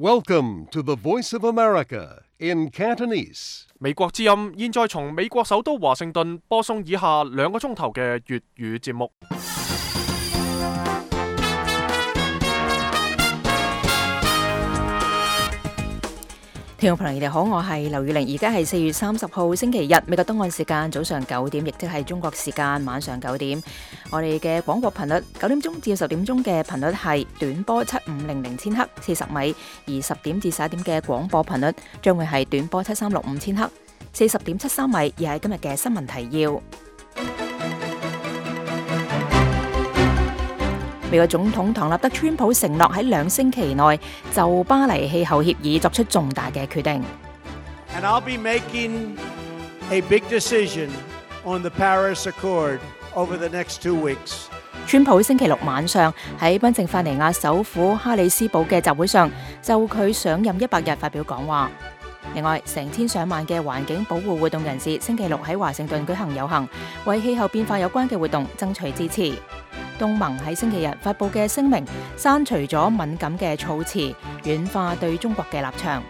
Welcome to the Voice of America in Cantonese. 美國之音現在從美國首都華盛頓播送以下2個鐘頭嘅粵語節目。聽眾朋友，你哋好，我係劉宇玲，而家係4月30號星期日，美國東岸時間早上9點，亦即係中國時間晚上9點。我哋嘅廣播頻率9點鐘至10點鐘嘅頻率係短波7500千赫40米，而10點至11點嘅廣播頻率將會係短波7365千赫40.73米，而係今日嘅新聞提要。美國總統唐納德·川普承諾喺2星期內就巴黎氣候協議作出重大嘅決定。And I'll be making a big decision on the Paris Accord over the next 2 weeks. 川普星期六晚上喺賓夕法尼亞首府哈里斯堡嘅集會上，就佢上任100日發表講話。另外，成千上萬嘅環境保護活動人士星期六喺華盛頓舉行遊行，為氣候變化有關嘅活動爭取支持。東盟喺星期日發佈嘅聲明刪除咗敏感嘅措辭，軟化對中國嘅立場。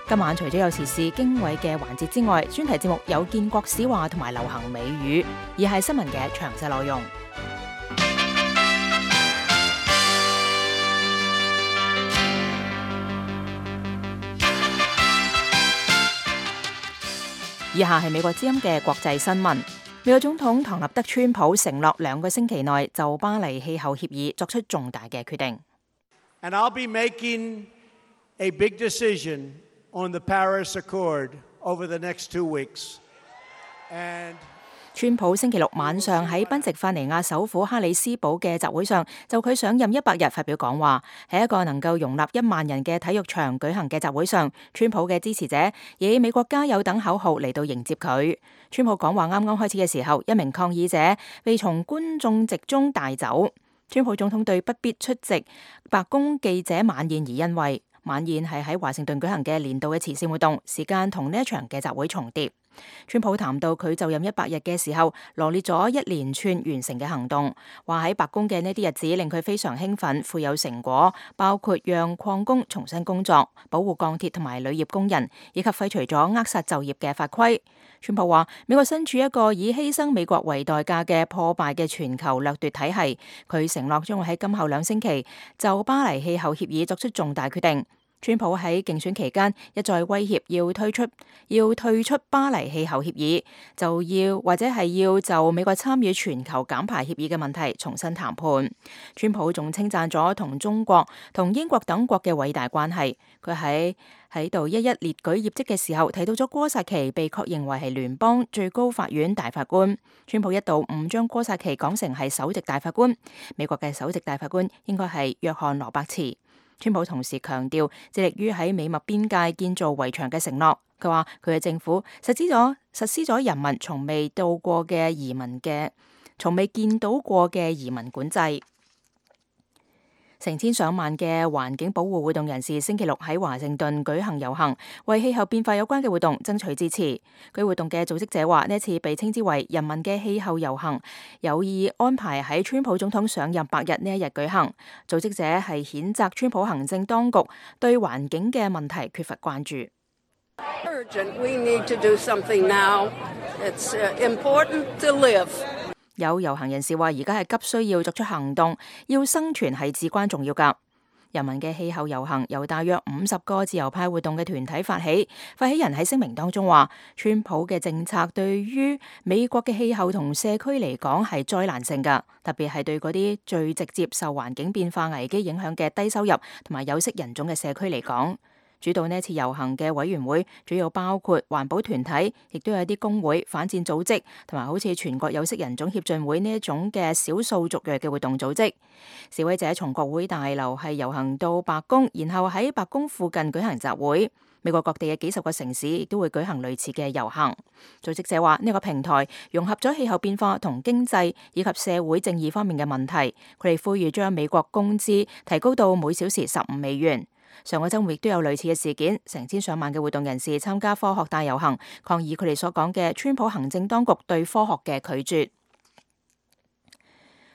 今晚除咗有時事經緯嘅環節之外，專題節目有建國史話同埋流行美語，而係新聞嘅詳細內容。以下係美國之音嘅國際新聞。美國總統唐納德·川普承諾2個星期內就巴黎氣候協議作出重大嘅決定。And I'll be making a big decision on the Paris Accord over the next 2 weeks. And川普星期六晚上喺賓夕法尼亞首府哈里斯堡嘅集會上，就佢上任100日發表講話。喺一個能夠容納1萬人嘅體育場舉行嘅集會上，川普嘅支持者以美國加油等口號嚟到迎接佢。川普講話啱啱開始嘅時候，一名抗議者被從觀眾席中帶走。川普總統對不必出席白宮記者晚宴而欣慰。晚宴係喺華盛頓舉行嘅年度嘅慈善活動，時間同呢一場嘅集會重疊。川普談到佢就任100日嘅時候，羅列咗一連串完成嘅行動，話喺白宮嘅呢啲日子令佢非常興奮，富有成果，包括讓礦工重新工作、保護鋼鐵同埋鋁業工人，以及廢除咗扼殺就業嘅法規。川普話：美國身處一個以犧牲美國為代價嘅破敗嘅全球掠奪體系，佢承諾將會喺今後2星期就巴黎氣候協議作出重大決定。川普喺競選期間一再威脅要退出巴黎氣候協議，或者係要就美國參與全球減排協議嘅問題重新談判。川普仲稱讚咗同中國、同英國等國嘅偉大關係。佢喺度一一列舉業績嘅時候，提到咗哥薩奇被確認為係聯邦最高法院大法官。川普一度誤將哥薩奇講成係首席大法官，美國嘅首席大法官應該係約翰羅伯茨。川普同時強調致力於喺美墨邊界建造圍牆嘅承諾。佢話佢嘅政府實施咗人民從未見到過嘅移民管制。成千上萬嘅環境保護活動人士星期六喺華盛頓舉行遊行，為氣候變化有關嘅活動爭取支持。該活動嘅組織者話，呢次被稱之為人民嘅氣候遊行，有意安排喺川普總統上任100日呢一日舉行。組織者係譴責川普行政當局對環境嘅問題缺乏關注。We need to do something now. It's important to live. 有遊行人士話，而家係急需要作出行動，要生存係至關重要㗎。人民嘅氣候遊行由大約50個自由派活動嘅團體發起，發起人喺聲明當中話，川普嘅政策對於美國嘅氣候同社區嚟講係災難性㗎，特別係對嗰啲最直接受環境變化危機影響嘅低收入同埋有色人種嘅社區嚟講。主導呢次遊行嘅委員會主要包括環保團體，亦都有啲工會、反戰組織同埋好似全國有色人種協進會呢一種嘅少數族裔嘅活動組織。示威者從國會大樓係遊行到白宮，然後喺白宮附近舉行集會。美國各地嘅幾十個城市亦都會舉行類似嘅遊行。組織者話，呢個平台融合咗氣候變化同經濟以及社會正義方面嘅問題。佢哋呼籲將美國工資提高到每小時15美元。上個週末亦都有類似嘅事件，成千上萬嘅活動人士參加科學大遊行，抗議佢哋所講嘅川普行政當局對科學嘅拒絕。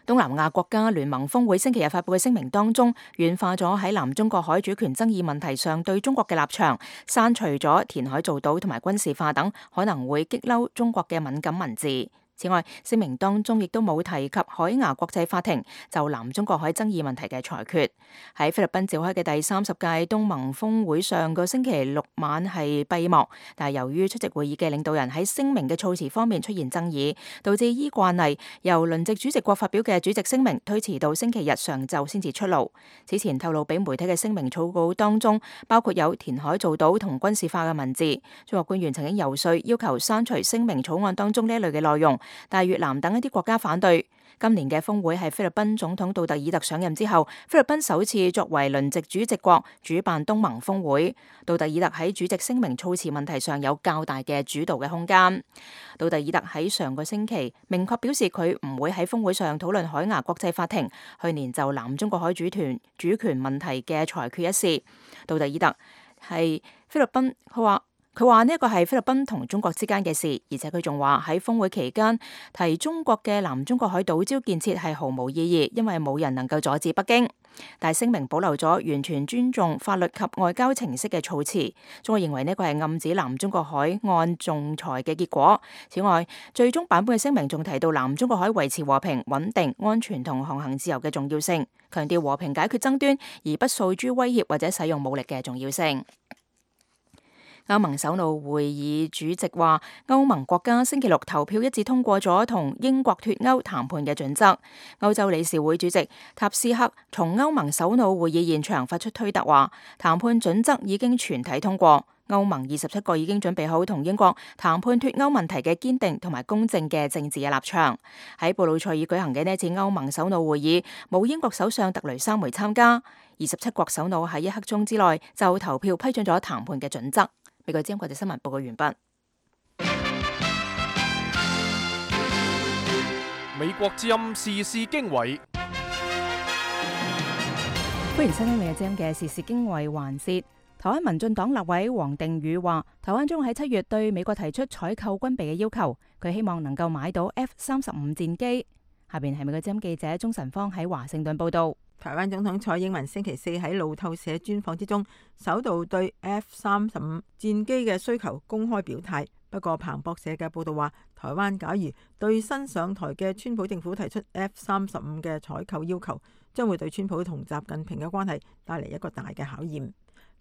東南亞國家聯盟峰會星期日發佈嘅聲明當中，軟化咗喺南中國海主權爭議問題上對中國嘅立場，刪除咗填海造島同埋軍事化等可能會激嬲中國嘅敏感文字。此外，聲明當中亦都冇提及海牙國際法庭就南中國海爭議問題嘅裁決。喺菲律賓召開嘅第30屆東盟峰會上個星期六晚係閉幕，但係由於出席會議嘅領導人喺聲明嘅措辭方面出現爭議，導致依慣例由輪值主席國發表嘅主席聲明推遲到星期日上晝先至出爐。此前透露俾媒體嘅聲明草稿當中，包括有填海造島同軍事化嘅文字。中國官員曾經游說要求刪除聲明草案當中呢一類嘅內容，但係越南等一啲國家反對。今年嘅峰會係菲律賓總統杜特爾特上任之後，菲律賓首次作為輪值主席國主辦東盟峰會。杜特爾特喺主席聲明措辭問題上有較大嘅主導嘅空間。杜特爾特喺上個星期明確表示佢唔會喺峰會上討論海牙國際法庭去年就南中國海主權問題嘅裁決一事。杜特爾特係菲律賓，佢話呢一個係菲律賓同中國之間嘅事，而且佢仲話喺峰會期間提中國嘅南中國海島礁建設係毫無意義，因為冇人能夠阻止北京。但係聲明保留咗完全尊重法律及外交程式嘅措辭。中國認為呢個係暗指南中國海岸仲裁嘅結果。此外，最終版本嘅聲明仲提到南中國海維持和平、穩定、安全同航行自由嘅重要性，強調和平解決爭端而不訴諸威脅或者使用武力嘅重要性。歐盟首腦會議主席話，歐盟國家星期六投票一致通過咗同英國脫歐談判嘅準則。歐洲理事會主席塔斯克從歐盟首腦會議現場發出推特話，談判準則已經全體通過，歐盟27個已經準備好同英國談判脫歐問題嘅堅定同埋公正嘅政治嘅立場。喺布魯塞爾舉行嘅呢次歐盟首腦會議，冇英國首相特雷莎梅參加。27國首腦喺1刻鐘之內就投票批准咗談判嘅準則。美國之音國際新聞報告完畢。美國之音時事經緯，歡迎收聽美國之音嘅時事經緯環節。台灣民進黨立委黃定宇話，台灣將喺7月對美國提出採購軍備嘅要求，佢希望能夠買到 F-35戰機。下邊係美國之音記者鍾晨芳喺華盛頓報道。台灣總統蔡英文星期四喺路透社專訪之中，首度對 F-35戰機嘅需求公開表態。不過彭博社嘅報道話，台灣假如對新上台嘅川普政府提出 F-35嘅採購要求，將會對川普同習近平嘅關係帶嚟一個大嘅考驗。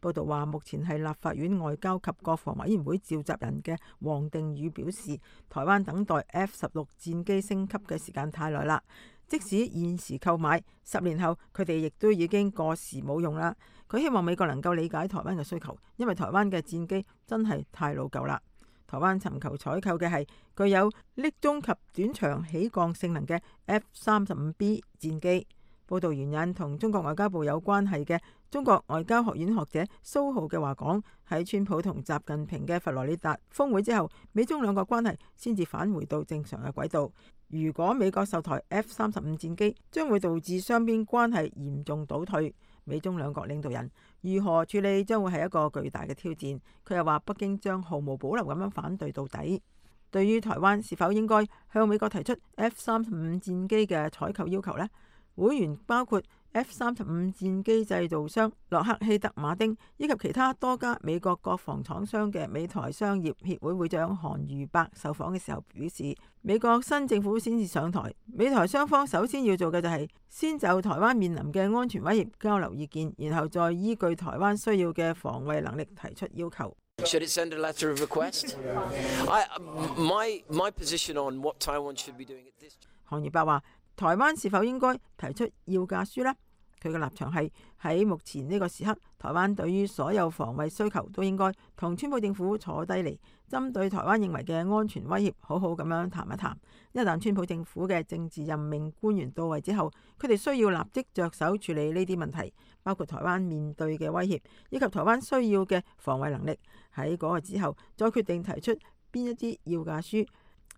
報道話，目前係立法院外交及國防委員會召集人嘅黃定宇表示，台灣等待 F-16戰機升級嘅時間太耐啦。即使現時購買，10年後佢哋亦都已經過時冇用啦。佢希望美國能夠理解台灣嘅需求，因為台灣嘅戰機真係太老舊啦。台灣尋求採購嘅係具有匿蹤及短場起降性能嘅 F-35B 戰機。報道援引同中國外交部有關係嘅中國外交學院學者蘇浩嘅話講，喺川普同習近平嘅佛羅里達峰會之後，美中兩國關係先至返回到正常嘅軌道。如果美國售台 F-35戰機，將會導致雙邊關係嚴重倒退。美中兩國領導人如何處理，將會係一個巨大嘅挑戰。佢又話，北京將毫無保留咁樣反對到底。對於台灣是否應該向美國提出 F-35戰機嘅採購要求呢？會員包括 F-35戰機製造商洛克希德馬丁以及其他多家美國國防廠商嘅美台商業協會會長韓瑜伯受訪嘅時候表示，美國新政府先至上台，美台雙方首先要做嘅就係先就台灣面臨嘅安全威脅交流意見，然後再依據台灣需要嘅防衛能力提出要求。Should it send a letter of request? My position on what Taiwan should be doing at this. 韓瑜伯話，台灣是否應該提出要價書呢？佢嘅立場係喺目前呢個時刻，台灣對於所有防衛需求都應該同川普政府坐低嚟，針對台灣認為嘅安全威脅，好好咁樣談一談。一旦川普政府嘅政治任命官員到位之後，佢哋需要立即着手處理呢啲問題，包括台灣面對嘅威脅，以及台灣需要嘅防衛能力。喺嗰個之後，再決定提出邊一啲要價書，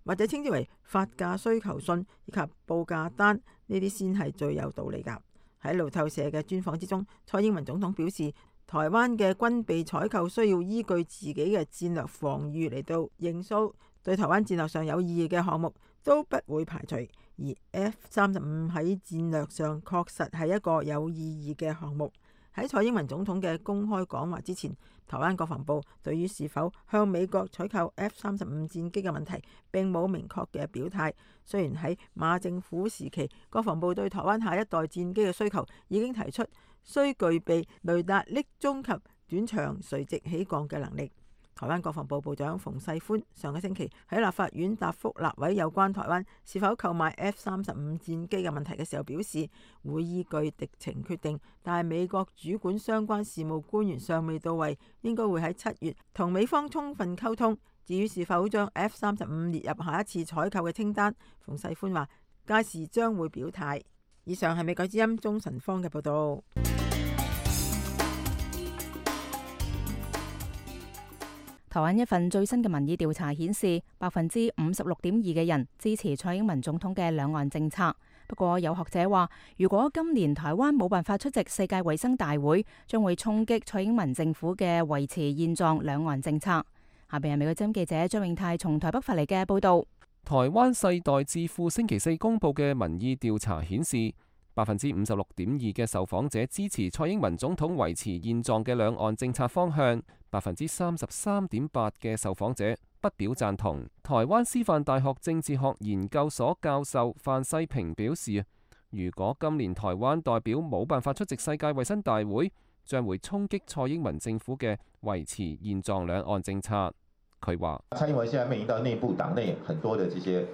或者稱之為發價需求信以及報價單，呢啲先係最有道理㗎。喺路透社嘅專訪之中，蔡英文總統表示，台灣嘅軍備採購需要依據自己嘅戰略防禦嚟到認數，對台灣戰略上有意義嘅項目，都不會排除。而 F-35喺戰略上確實係一個有意義嘅項目。喺蔡英文總統嘅公開講話之前，台灣國防部對於是否向美國採購 F-35戰機嘅問題並冇明確嘅表態。雖然喺馬政府時期，國防部對台灣下一代戰機嘅需求已經提出需具備雷達匿蹤及短場垂直起降嘅能力。台灣國防部部長馮世寬上個星期喺立法院答覆立委有關台灣是否購買 F-35戰機嘅問題嘅時候表示，會依據敵情決定，但係美國主管相關事務官員尚未到位，應該會喺7月同美方充分溝通。至於是否將 F-35列入下一次採購嘅清單，馮世寬話屆時將會表態。以上係美國之音鍾晨芳嘅報道。台灣一份最新嘅民意調查顯示，56.2%嘅人支持蔡英文總統嘅兩岸政策。不過有學者話，如果今年台灣冇辦法出席世界衛生大會，將會衝擊蔡英文政府嘅維持現狀兩岸政策。下邊係美國之音記者張永泰從台北發嚟嘅報道。台灣世代智庫星期四公佈嘅民意調查顯示，56.2%嘅受訪者支持蔡英文總統維持現狀嘅兩岸政策方向。33.8% 嘅受訪者不表贊同。台灣師範大學政治學研究所教授范世平表示，如果今年台灣代表冇辦法出席世界衛生大會，將會衝擊蔡英文政府嘅維持現狀兩岸政策。佢話：蔡英文現在面臨到內部黨內很多的這些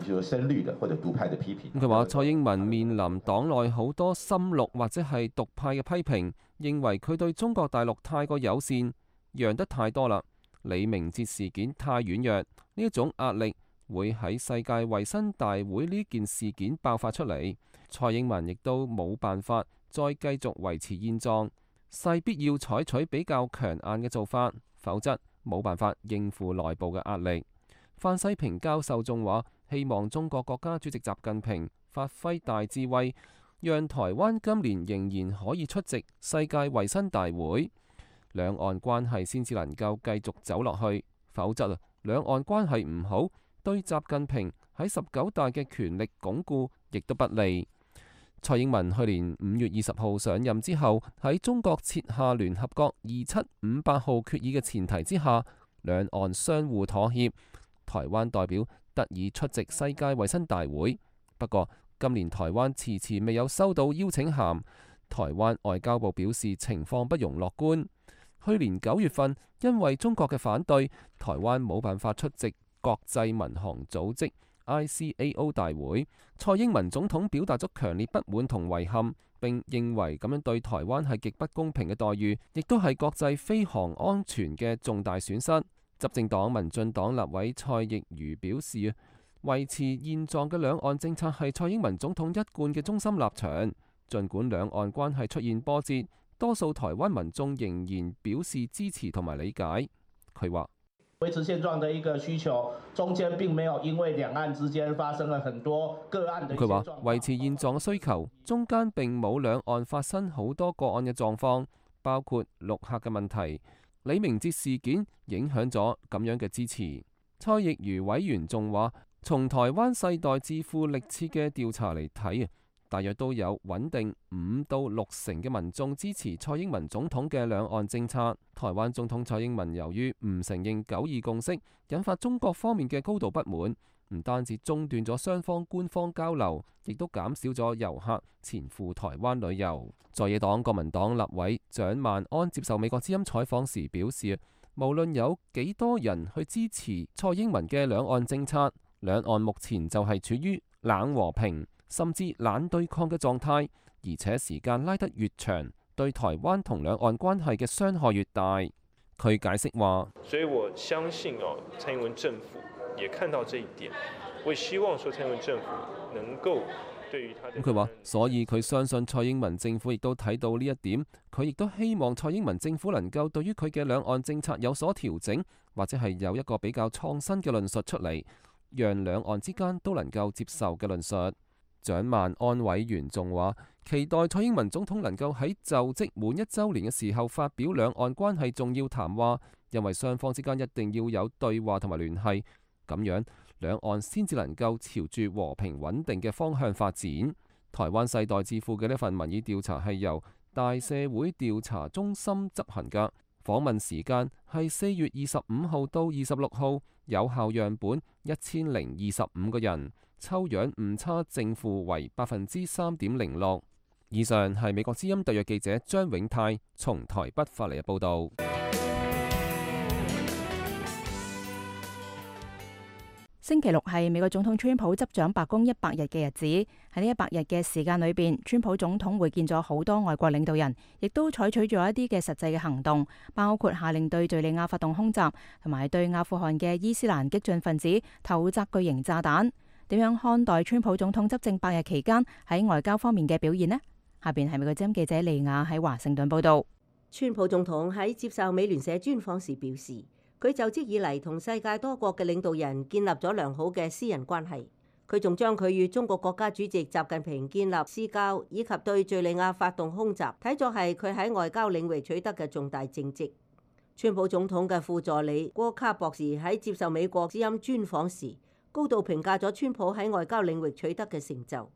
就是深綠的或者獨派的批評。佢話蔡英文面臨黨內好多深綠或者係獨派嘅批評，認為佢對中國大陸太過友善，讓得太多啦。李明哲事件太軟弱，呢一種壓力會喺世界衛生大會呢件事件爆發出嚟。蔡英文亦都冇辦法再繼續維持現狀，勢必要採取比較強硬嘅做法，否則冇辦法應付內部嘅壓力。范世平教授仲話，希望中國國家主席習近平發揮大智慧，讓台灣今年仍然可以出席世界衛生大會，兩岸關係先至能夠繼續走落去，否則兩岸關係唔好，對習近平喺19大嘅權力鞏固亦都不利。蔡英文去年5月20號上任之後，喺中國設下聯合國2758號決議嘅前提之下，兩岸相互妥協，台灣代表得以出席世界衛生大會。不過今年台灣遲遲未有收到邀請函，台灣外交部表示情況不容樂觀。去年9月份，因為中國嘅反對，台灣冇辦法出席國際民航組織 ICAO 大會。蔡英文總統表達咗強烈不滿同遺憾，並認為咁樣對台灣係極不公平嘅待遇，亦都係國際飛航安全嘅重大損失。執政黨民進黨立委蔡亦瑜表示，維持現狀嘅兩岸政策係蔡英文總統一貫嘅中心立場。儘管兩岸關係出現波折，多數台灣民眾仍然表示支持同埋理解。佢話：維持現狀的一個需求，中間並沒有因為兩岸之間發生了很多個案的一些狀況。佢話維持現狀嘅需求，中間並冇兩岸發生好多個案嘅狀況，包括陸客嘅問題。李明哲事件影響咗咁樣嘅支持。蔡亦瑜委員仲話：從台灣世代智庫歷次嘅調查嚟睇，大約都有穩定5到6成嘅民眾支持蔡英文總統嘅兩岸政策。台灣總統蔡英文由於唔承認9·2共識，引發中國方面嘅高度不滿，唔單止中斷咗雙方官方交流，亦都減少咗遊客前赴台灣旅遊。在野黨國民黨立委蔣萬安接受美國之音採訪時表示，無論有幾多人去支持蔡英文嘅兩岸政策，兩岸目前就係處於冷和平甚至冷對抗嘅狀態，而且時間拉得越長，對台灣同兩岸關係嘅傷害越大。佢解釋話：所以我相信蔡英文政府也看到這一點，我也希望說蔡英文政府能夠對於他的。佢話，所以佢相信蔡英文政府亦都睇到呢一點，佢亦都希望蔡英文政府能夠對於佢嘅兩岸政策有所調整，或者係有一個比較創新嘅論述出嚟，讓兩岸之間都能夠接受嘅論述。蔣萬安委員仲話，期待蔡英文總統能夠喺就職滿1週年嘅時候發表兩岸關係重要談話，因為雙方之間一定要有對話同埋聯繫，咁樣兩岸先至能夠朝住和平穩定嘅方向發展。台灣世代智庫嘅呢份民意調查係由大社會調查中心執行㗎，訪問時間係4月25號到26號，有效樣本1025個人，抽樣誤差正負為3.06%。以上係美國之音特約記者張永泰從台北發嚟嘅報導。星期六係美國總統川普執掌白宮100日嘅日子。喺呢100日嘅時間裏邊，川普總統會見咗好多外國領導人，亦都採取咗一啲嘅實際嘅行動，包括下令對敘利亞發動空襲，同埋對阿富汗嘅伊斯蘭激進分子投擲巨型炸彈。點樣看待川普總統執政100日期間喺外交方面嘅表現呢？下邊係美國之音記者利亞喺華盛頓報道。川普總統喺接受美聯社專訪時表示，佢就職以嚟同世界多國嘅領導人建立咗良好嘅私人關係。佢仲將佢與中國國家主席習近平建立私交，以及對敘利亞發動空襲，睇作係佢喺外交領域取得嘅重大政績。川普總統嘅副助理郭卡博士喺接受美國之音專訪時，高度評價咗川普喺外交領域取得嘅成就。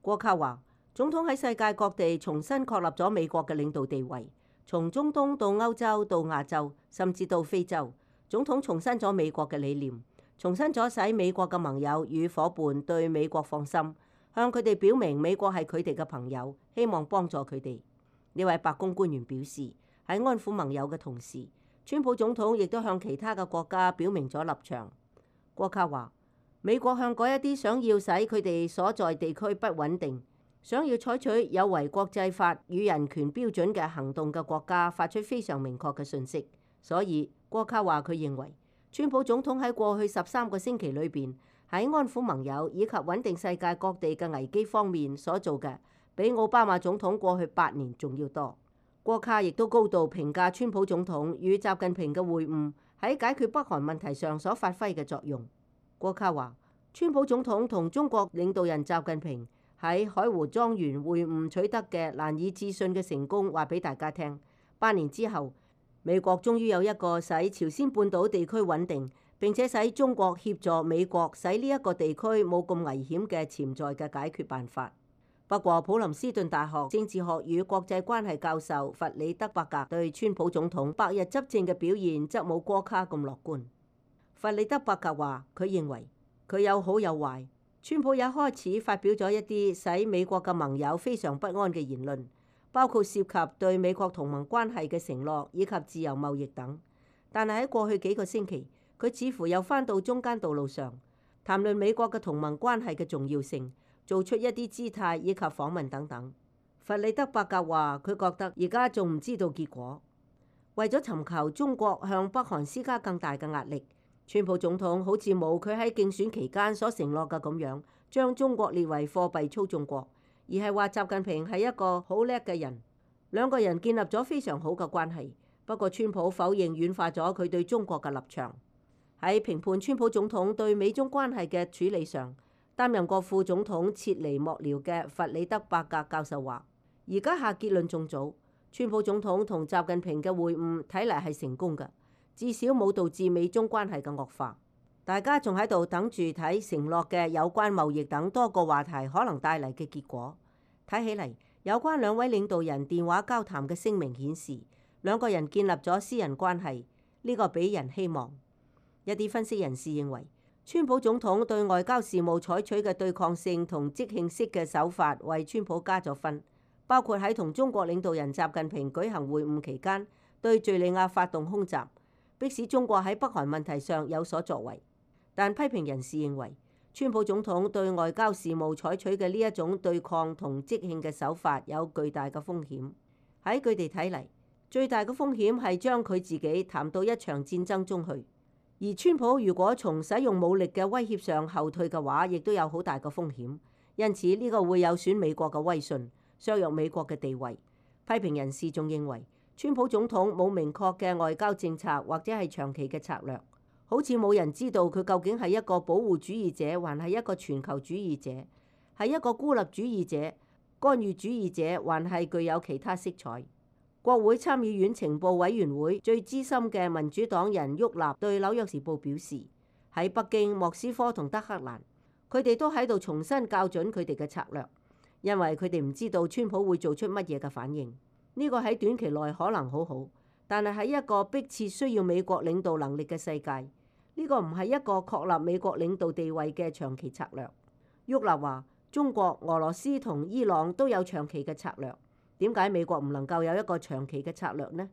郭卡話，總統喺世界各地重新確立咗美國嘅領導地位，從中東到歐洲到亞洲，甚至到非洲。總統重申咗美國嘅理念，重申咗使美國嘅盟友與伙伴對美國放心，向佢哋表明美國係佢哋嘅朋友，希望幫助佢哋。呢位白宮官員表示，喺安撫盟友嘅同時，川普總統亦都向其他嘅國家表明咗立場。郭卡話，美國向嗰一啲想要使佢哋所在地區不穩定，想要採取有違國際法與人權標準嘅行動嘅國家發出非常明確嘅訊息。所以郭卡話，佢認為川普總統喺過去13個星期裏邊喺安撫盟友以及穩定世界各地嘅危機方面所做嘅，比奧巴馬總統過去8年仲要多。郭卡亦都高度評價川普總統與習近平嘅會晤喺解決北韓問題上所發揮嘅作用。郭卡話，川普總統同中國領導人習近平喺海湖莊園會晤取得嘅難以置信嘅成功，話俾大家聽。8年之後，美國終於有一個使朝鮮半島地區穩定，並且使中國協助美國使呢一個地區冇咁危險嘅潛在嘅解決辦法。不過，普林斯頓大學政治學與國際關係教授弗里德伯格對川普總統100日執政嘅表現則冇郭卡咁樂觀。弗里德伯格話，佢認為佢有好有壞。川普也開始發表咗一啲使美國嘅盟友非常不安嘅言論，包括涉及對美國同盟關係嘅承諾以及自由貿易等。但係喺過去幾個星期，佢似乎又返到中間道路上，談論美國嘅同盟關係嘅重要性，做出一啲姿態以及訪問等等。弗里德伯格話，佢覺得而家仲唔知道結果。為咗尋求中國向北韓施加更大嘅壓力，川普總統好似冇佢喺競選期間所承諾嘅咁樣，將中國列為貨幣操縱國。而係話習近平係一個好叻嘅人，兩個人建立咗非常好嘅關係。不過川普否認軟化咗佢對中國嘅立場。喺評判川普總統對美中關係嘅處理上，擔任過副總統切尼幕僚嘅弗里德伯格教授話，而家下結論仲早。川普總統同習近平嘅會晤睇嚟係成功嘅，至少冇導致美中關係嘅惡化。大家仲喺度等住睇承諾嘅有關貿易等多個話題可能帶嚟嘅結果。睇起嚟，有關兩位領導人電話交談嘅聲明顯示，兩個人建立咗私人關係，呢個俾人希望。一啲分析人士認為，川普總統對外交事務採取嘅對抗性同即興式嘅手法為川普加咗分，包括喺同中國領導人習近平舉行會晤期間對敘利亞發動空襲，迫使中國喺北韓問題上有所作為。但批評人士認為，川普總統對外交事務採取嘅呢一種對抗同即興嘅手法有巨大嘅風險。喺佢哋睇嚟，最大嘅風險係將佢自己談到一場戰爭中去。而川普如果從使用武力嘅威脅上後退嘅話，亦都有好大嘅風險。因此呢個會有損美國嘅威信，削弱美國嘅地位。批評人士仲認為，川普總統冇明確嘅外交政策或者係長期嘅策略。好似冇人知道佢究竟係一個保護主義者，還係一個全球主義者，係一個孤立主義者、干預主義者，還係具有其他色彩。國會參議院情報委員會最資深嘅民主黨人沃納對《紐約時報》表示，喺北京、莫斯科同德黑蘭，佢哋都喺度重新校準佢哋嘅策略，因為佢哋唔知道川普會做出乜嘢嘅反應。呢個喺短期內可能好好，但係喺一個迫切需要美國領導能力嘅世界，呢個唔係一個確立美國領導地位嘅長期策略。沃納話：中國、俄羅斯同伊朗都有長期嘅策略，點解美國唔能夠有一個長期嘅策略呢？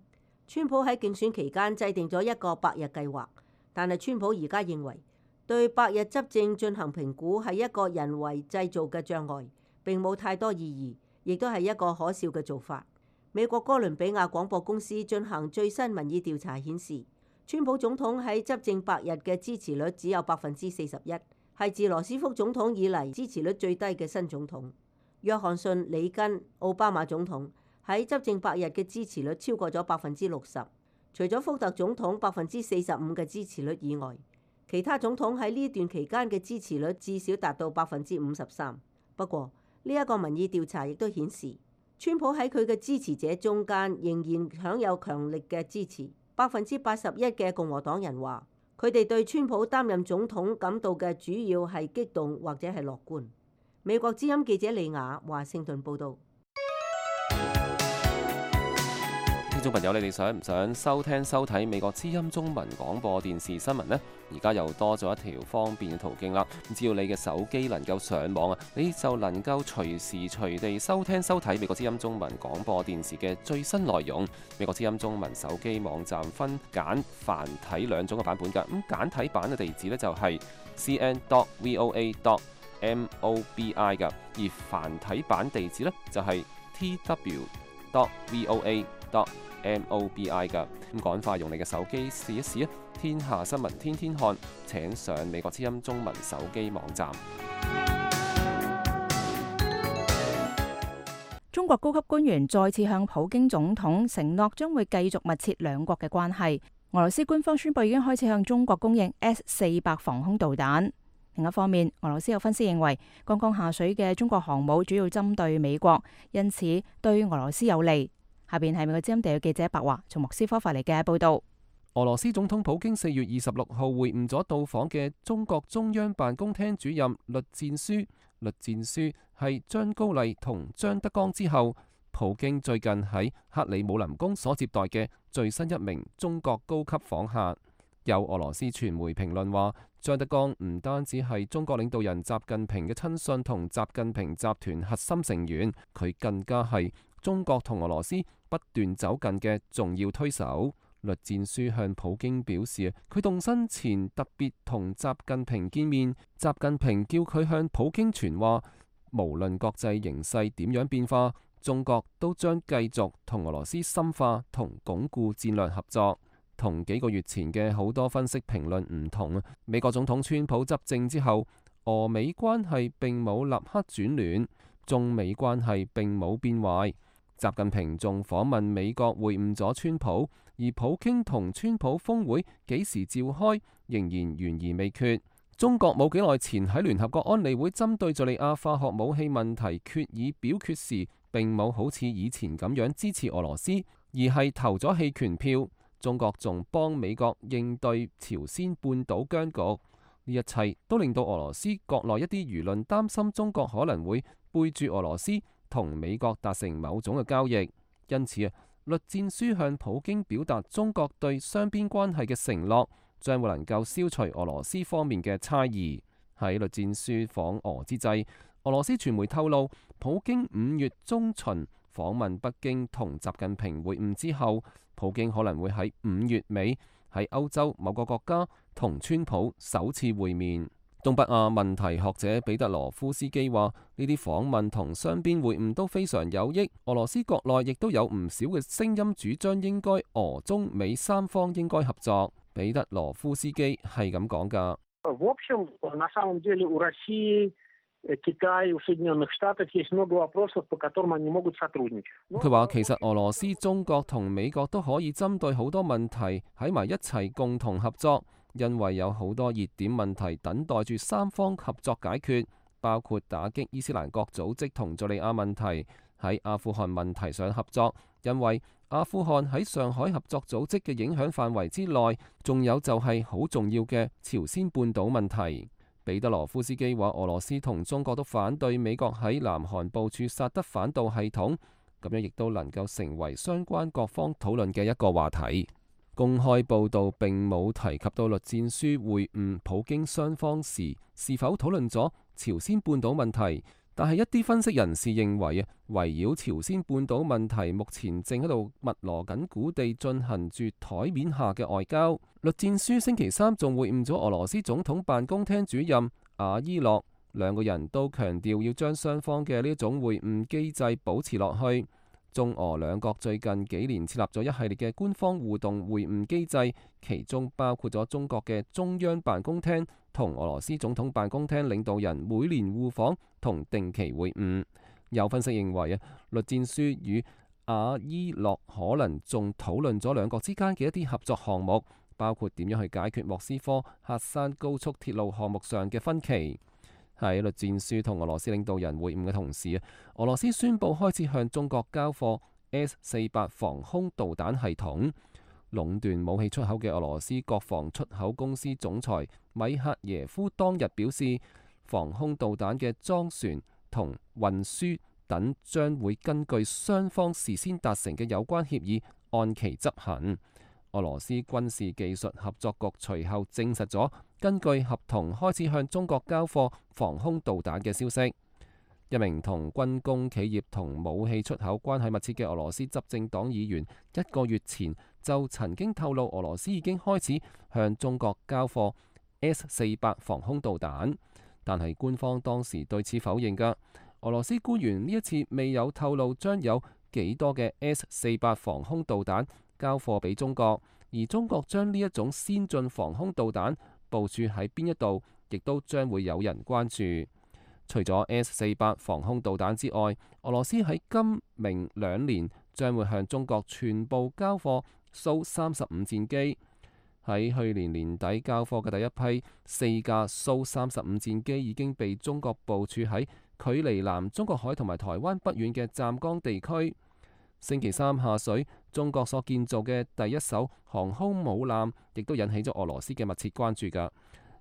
川普喺競選期間制定咗一個百日計劃，但係川普而家認為對百日執政進行評估係一個人為製造嘅障礙，並冇太多意義，亦都係一個可笑嘅做法。美國哥倫比亞廣播公司進行最新民意調查顯示，川普總統喺執政百日嘅支持率只有41%，係自羅斯福總統以嚟支持率最低嘅新總統。約翰遜、里根、奧巴馬總統喺執政百日嘅支持率超過咗60%，除咗福特總統45%嘅支持率以外，其他總統喺呢段期間嘅支持率至少達到53%。不過呢一個民意調查亦都顯示，川普喺佢嘅支持者中間仍然享有強力嘅支持。81%嘅共和黨人話，佢哋對川普擔任總統感到嘅主要係激動或者係樂觀。美國之音記者李雅華盛頓報道。聽眾朋友，你哋想唔想收聽收睇美國之音中文廣播電視新聞呢？而家又多咗一條方便嘅途徑啦！只要你嘅手機能夠上網啊，你就能夠隨時隨地收聽收睇美國之音中文廣播電視嘅最新內容。美國之音中文手機網站分簡繁體兩種嘅版本㗎。咁簡體版嘅地址呢，就係 cn.voa.mobi 㗎，而繁體版地址呢，就係 tw.voa.mobi 㗎。咁趕快用你嘅手機試一試啊！天下新聞天天看，請上美國之音中文手機網站。中國高級官員再次向普京總統承諾將會繼續密切兩國嘅關係。俄羅斯官方宣布已經開始向中國供應 S-400防空導彈。另一方面，俄羅斯有分析認為，剛剛下水嘅中國航母主要針對美國，因此對俄羅斯有利。下邊係美國之音地嘅記者白華從莫斯科發嚟嘅報道。俄羅斯總統普京4月26號會晤咗到訪嘅中國中央辦公廳主任栗戰書。栗戰書係張高麗同張德江之後，普京最近喺克里姆林宮所接待嘅最新一名中國高級訪客。有俄羅斯傳媒評論話，張德江唔單止係中國領導人習近平嘅親信同習近平集團核心成員，佢更加係中國同俄羅斯不斷走近嘅重要推手。栗戰書向普京表示，佢動身前特別同習近平見面，習近平叫佢向普京傳話，無論國際形勢點樣變化，中國都將繼續同俄羅斯深化同鞏固戰略合作。同幾個月前嘅好多分析評論唔同，美國總統川普執政之後，俄美關係並冇立刻轉暖，中美關係並冇變壞。習近平仲訪問美國會晤咗川普，而普京同川普峰會幾時召開仍然懸而未決。中國冇幾耐前喺聯合國安理會針對敘利亞化學武器問題決議表決時，並冇好似以前咁樣支持俄羅斯，而係投咗棄權票。中國仲幫美國應對朝鮮半島僵局，呢一切都令到俄羅斯國內一啲輿論擔心中國可能會背住俄羅斯同美國達成某種嘅交易。因此啊，栗戰書向普京表達中國對雙邊關係嘅承諾，將會能夠消除俄羅斯方面嘅猜疑。喺栗戰書訪俄之際，俄羅斯傳媒透露，普京5月中旬訪問北京同習近平會晤之後，普京可能會喺5月尾喺歐洲某個國家同川普首次會面。東北亞問題學者彼得羅夫斯基話：呢啲訪問同雙邊會晤都非常有益。俄羅斯國內亦都有唔少嘅聲音主張應該俄中美三方應該合作。彼得羅夫斯基係咁講㗎。佢話其實俄羅斯、中國同美國都可以針對好多問題喺埋一齊共同合作，因為有好多熱點問題等待住三方合作解決，包括打擊伊斯蘭國組織同敘利亞問題，喺阿富汗問題上合作，因為阿富汗喺上海合作組織嘅影響範圍之內，仲有就係好重要嘅朝鮮半島問題。彼得羅夫斯基話，俄羅斯同中國都反對美國喺南韓部署薩德反導系統，咁樣亦都能夠成為相關各方討論嘅一個話題。公開報導並冇提及到栗戰書會晤普京雙方時是否討論咗朝鮮半島問題，但係一啲分析人士認為圍繞朝鮮半島問題目前正喺度密鑼緊鼓地進行住台面下嘅外交。栗戰書星期三仲會晤咗俄羅斯總統辦公廳主任阿伊諾，兩個人都強調要將雙方嘅呢一種會晤機制保持落去。中俄兩國最近幾年設立咗一系列嘅官方互動會晤機制，其中包括咗中國嘅中央辦公廳同俄羅斯總統辦公廳領導人每年互訪同定期會晤。有分析認為栗戰書與阿伊諾可能仲討論咗兩國之間嘅一啲合作項目，包括點樣去解決莫斯科喀山高速鐵路項目上嘅分歧。喺栗戰書同俄羅斯領導人會晤嘅同時，俄羅斯宣布開始向中國交貨 S-400 防空導彈系統。壟斷武器出口嘅俄羅斯國防出口公司總裁米克耶夫當日表示，防空導彈嘅裝船同運輸等將會根據雙方事先達成嘅有關協議按期執行。俄羅斯軍事技術合作局隨後證實咗根據合同開始向中國交貨防空導彈嘅消息。一名同軍工企業同武器出口關係密切嘅俄羅斯執政黨議員一個月前就曾經透露，俄羅斯已經開始向中國交貨 S-400 防空導彈，但係官方當時對此否認㗎。俄羅斯官員呢一次未有透露將有幾多嘅 S-400 防空導彈交貨俾中國，而中國將呢一種先進防空導彈部署喺邊一度，亦都將會有人關注。除咗 S-400 防空導彈之外，俄羅斯喺今明兩年將會向中國全部交貨蘇35戰機。喺去年年底交貨嘅第一批4架蘇35戰機已經被中國部署喺距離南中國海同埋台灣不遠嘅湛江地區。星期三下水，中國所建造嘅第一艘航空母艦亦都引起咗俄羅斯嘅密切關注㗎。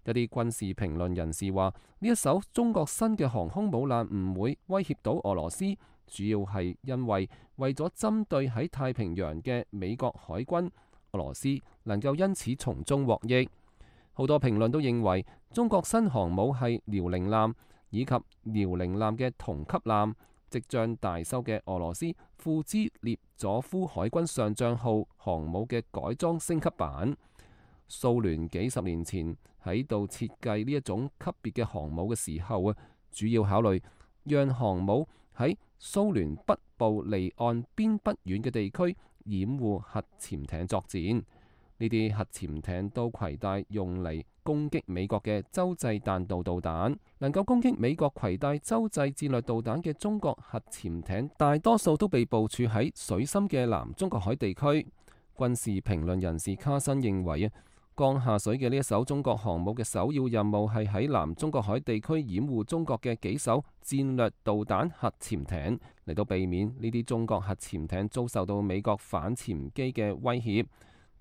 一啲軍事評論人士話，呢一艘中國新嘅航空母艦唔會威脅到俄羅斯，主要係因為咗針對喺太平洋嘅美國海軍，俄羅斯能夠因此從中獲益。好多評論都認為，中國新航母係遼寧艦以及遼寧艦嘅同級艦。即將大修嘅俄羅斯庫茲列佐夫海軍上將號航母嘅改裝升級版。蘇聯幾十年前喺度設計呢一種級別嘅航母嘅時候主要考慮讓航母喺蘇聯北部離岸邊不遠嘅地區掩護核潛艇作戰。呢啲核潛艇都攜帶用嚟攻擊美國嘅洲際彈道導彈，能夠攻擊美國攜帶洲際戰略導彈嘅中國核潛艇，大多數都被部署喺水深嘅南中國海地區。軍事評論人士卡申認為剛下水嘅呢一艘中國航母嘅首要任務係喺南中國海地區掩護中國嘅幾艘戰略導彈核潛艇，嚟到避免呢啲中國核潛艇遭受到美國反潛機嘅威脅。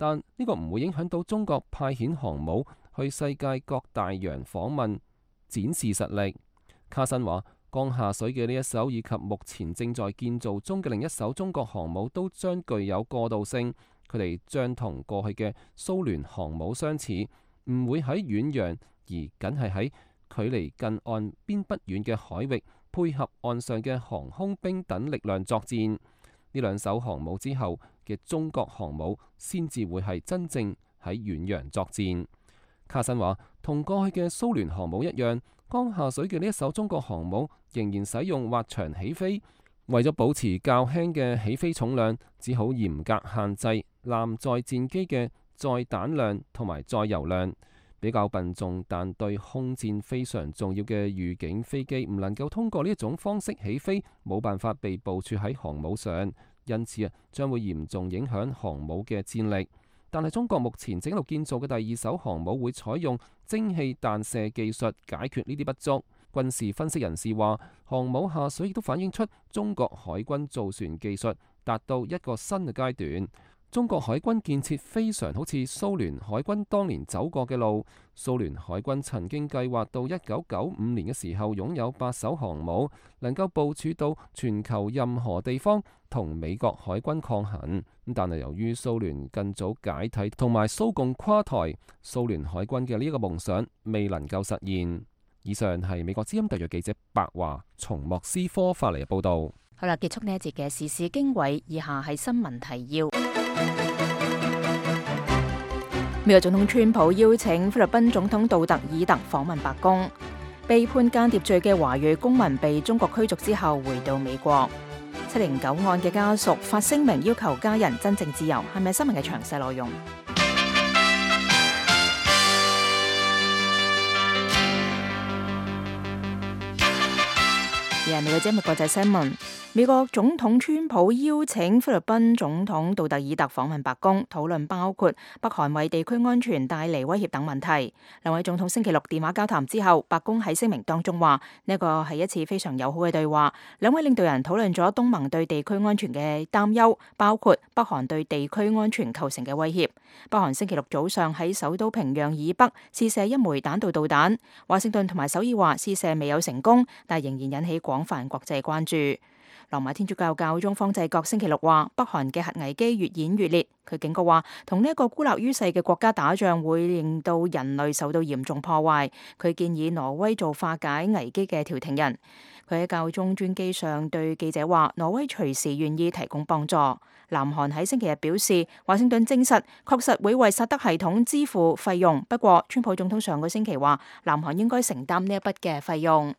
但呢個唔會影響到中國派遣航母去世界各大洋訪問，展示實力。卡申話，剛下水嘅呢一艘以及目前正在建造中嘅另一艘中國航母都將具有過渡性，佢哋將同過去嘅蘇聯航母相似，唔會喺遠洋，而僅係喺距離近岸邊不遠嘅海域配合岸上嘅航空兵等力量作戰。呢兩艘航母之後嘅中國航母先至會係真正喺遠洋作戰。卡申話，同過去嘅蘇聯航母一樣，剛下水嘅呢一艘中國航母仍然使用滑翔起飛，為咗保持較輕嘅起飛重量，只好嚴格限制艦載戰機嘅載彈量同埋載油量。比較笨重但對空戰非常重要嘅預警飛機唔能夠通過呢一種方式起飛，冇辦法被部署喺航母上，因此將會嚴重影響航母嘅戰力。但係中國目前正喺度建造嘅第二艘航母會採用蒸汽彈射技術解決呢啲不足。軍事分析人士話，航母下水亦都反映出中國海軍造船技術達到一個新嘅階段。中國海軍建設非常好似蘇聯海軍當年走過嘅路。蘇聯海軍曾經計劃到1995年嘅時候擁有8艘航母，能夠部署到全球任何地方同美國海軍抗衡。但係由於蘇聯更早解體同埋蘇共垮台，蘇聯海軍嘅呢一個夢想未能夠實現。以上係美國之音特約記者白華從莫斯科發嚟嘅報道。好啦，結束呢一節嘅時事經緯，以下係新聞提要。美國總統川普邀請菲律賓總統杜特爾特訪問白宮。被判間諜罪嘅華裔公民被中國驅逐之後回到美國。709案嘅家屬發聲明要求家人真正自由，係咪新聞嘅詳細內容？而係美國節目國際新聞。美國總統川普邀請菲律賓總統杜特爾特訪問白宮，討論包括北韓為地區安全帶嚟威脅等問題。兩位總統星期六電話交談之後，白宮喺聲明當中話呢個係一次非常友好嘅對話。兩位領導人討論咗東盟對地區安全嘅擔憂，包括北韓對地區安全構成嘅威脅。北韓星期六早上喺首都平壤以北試射一枚彈道導彈，華盛頓同埋首爾話試射未有成功，但仍然引起廣泛國際關注。羅馬天主教教宗方濟各星期六話，北韓嘅核危機越演越烈。佢警告話，同呢一個孤立於世嘅國家打仗會令到人類受到嚴重破壞。佢建議挪威做化解危機嘅調停人。佢喺教宗專機上對記者話，挪威隨時願意提供幫助。南韓喺星期日表示，華盛頓證實確實會為薩德系統支付費用，不過川普總統上個星期話，南韓應該承擔呢一筆嘅費用。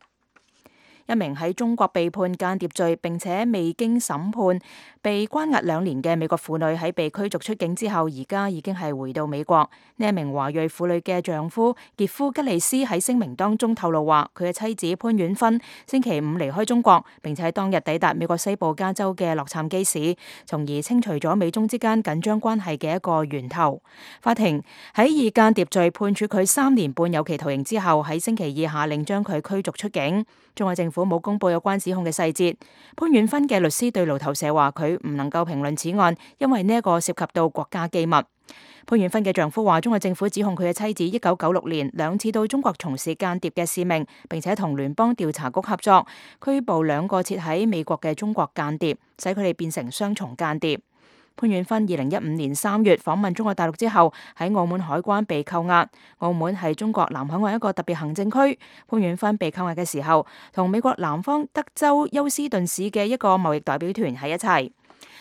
一名喺中國被判間諜罪並且未經審判被關押2年嘅美國婦女喺被驅逐出境之後，而家已經係回到美國。呢一名華裔婦女嘅丈夫傑夫吉利斯喺聲明當中透露話，佢嘅妻子潘婉芬星期5離開中國，並且喺當日抵達美國西部加州嘅洛杉磯市，從而清除咗美中之間緊張關係嘅一個源頭。法庭喺以間諜罪判處佢3年半有期徒刑之後，喺星期2下令將佢驅逐出境。中國政府冇公布有關指控嘅細節。潘婉芬嘅律師對路透社話，佢唔能夠評論此案，因為呢一個涉及到國家機密。潘婉芬嘅丈夫話，中國政府指控佢嘅妻子1996年2次到中國從事間諜嘅使命，並且同聯邦調查局合作，拘捕2個設喺美國嘅中國間諜，使佢哋變成雙重間諜。潘婉芬2015年3月訪問中國大陸之後，喺澳門海關被扣押。澳門係中國南海岸一個特別行政區。潘婉芬被扣押嘅時候，同美國南方德州休斯頓市嘅一個貿易代表團喺一齊。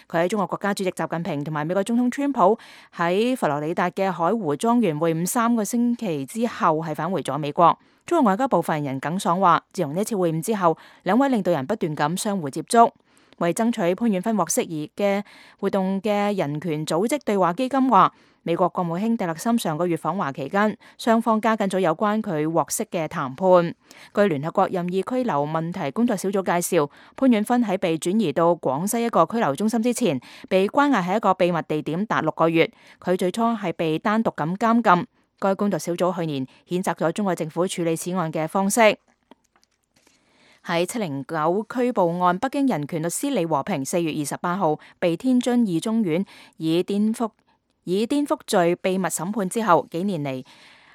佢喺中國國家主席習近平同埋美國總統川普喺佛羅里達嘅海湖莊園會晤3個星期之後，係返回咗美國。中國外交部發言人耿爽話，自從呢次會晤之後，兩位領導人不斷咁相互接觸。為爭取潘婉芬獲釋而嘅活動嘅人權組織對話基金話，美國國務卿蒂勒森上個月訪華期間，雙方加緊咗有關佢獲釋嘅談判。據聯合國任意拘留問題工作小組介紹，潘婉芬喺被轉移到廣西一個拘留中心之前，被關押喺一個秘密地點達6個月。佢最初係被單獨咁監禁。該工作小組去年譴責咗中國政府處理此案嘅方式。喺709拘捕案，北京人權律師李和平4月28號被天津二中院以顛覆罪秘密審判之後，幾年嚟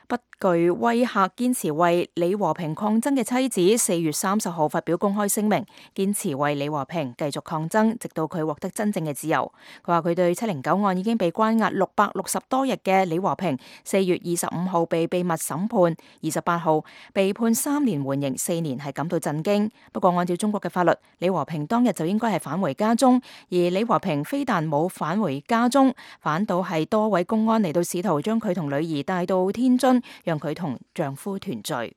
不具威嚇，堅持為李和平抗爭嘅妻子4月30號發表公開聲明，堅持為李和平繼續抗爭，直到佢獲得真正嘅自由。佢話佢對709案已經被關押660多日嘅李和平4月25號被秘密審判，28號被判3年緩刑4年，係感到震驚。不過按照中國嘅法律，李和平當日就應該係返回家中，而李和平非但冇返回家中，反倒係多位公安嚟到試圖將佢同女兒帶到天津，讓佢同丈夫團聚。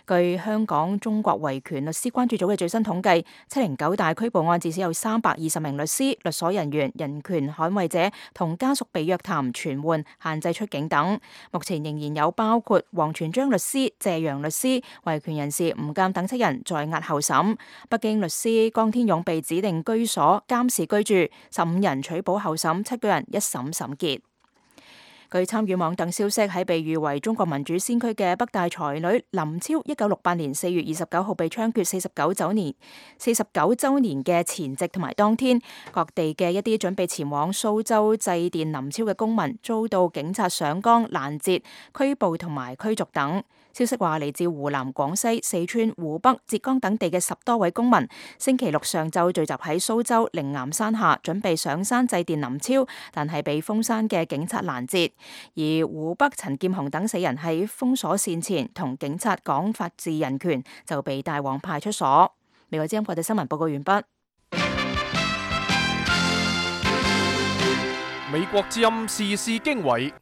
據香港中國維權律師關注組嘅最新統計，709大拘捕案至少有320名律師、律所人員、人權捍衛者同家屬被約談、傳喚、限制出境等。目前仍然有包括王全璋律師、謝陽律師、維權人士吳鑑等7人在押候審。北京律師江天勇被指定居所監視居住，15人取保候審，7個人一審審結。據參與網等消息，喺被譽為中國民主先驅嘅北大才女林超，1968年4月29號被槍決49週年嘅前夕同埋當天，各地嘅一啲準備前往蘇州祭奠林超嘅公民遭到警察上崗攔截、拘捕同埋驅逐等。消息話，嚟自湖南、廣西、四川、湖北、浙江等地嘅10多位公民，星期六上晝聚集喺蘇州靈岩山下，準備上山祭奠林超，但係被封山嘅警察攔截。而湖北陳劍雄等4人喺封鎖線前同警察講法治人權，就被帶往派出所。美國之音國際新聞報告完畢。美國之音時事經緯。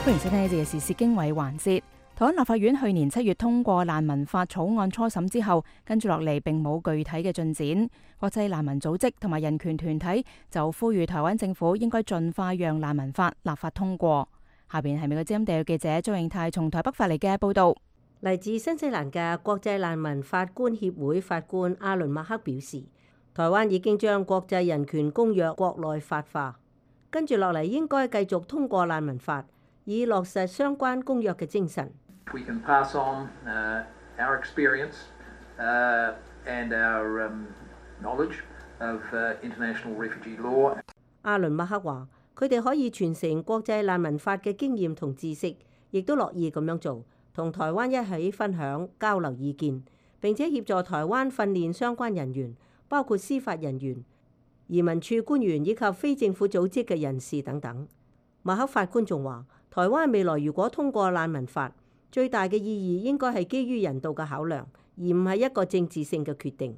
歡迎收聽呢節嘅時事經緯環節。台灣立法院去年7月通過難民法草案初審之後，跟住落嚟並冇具體嘅進展。國際難民組織同埋人權團體就呼籲台灣政府應該盡快讓難民法立法通過。下邊係美國之音地約記者張永泰從台北發嚟嘅報道。嚟自新西蘭嘅國際難民法官協會法官阿倫麥克表示，台灣已經將國際人權公約國內法化，跟住落嚟應該繼續通過難民法，以落實相關公約嘅精神。We can pass on our experience and our knowledge of international refugee law. 阿倫麥克話：佢哋可以傳承國際難民法嘅經驗同知識，亦都樂意咁樣做，同台灣一起分享交流意見，並且協助台灣訓練相關人員，包括司法人員、移民處官員以及非政府組織嘅人士等等。麥克法官仲話：台灣未來如果通過難民法，最大嘅意義應該係基於人道嘅考量，而唔係一個政治性嘅決定。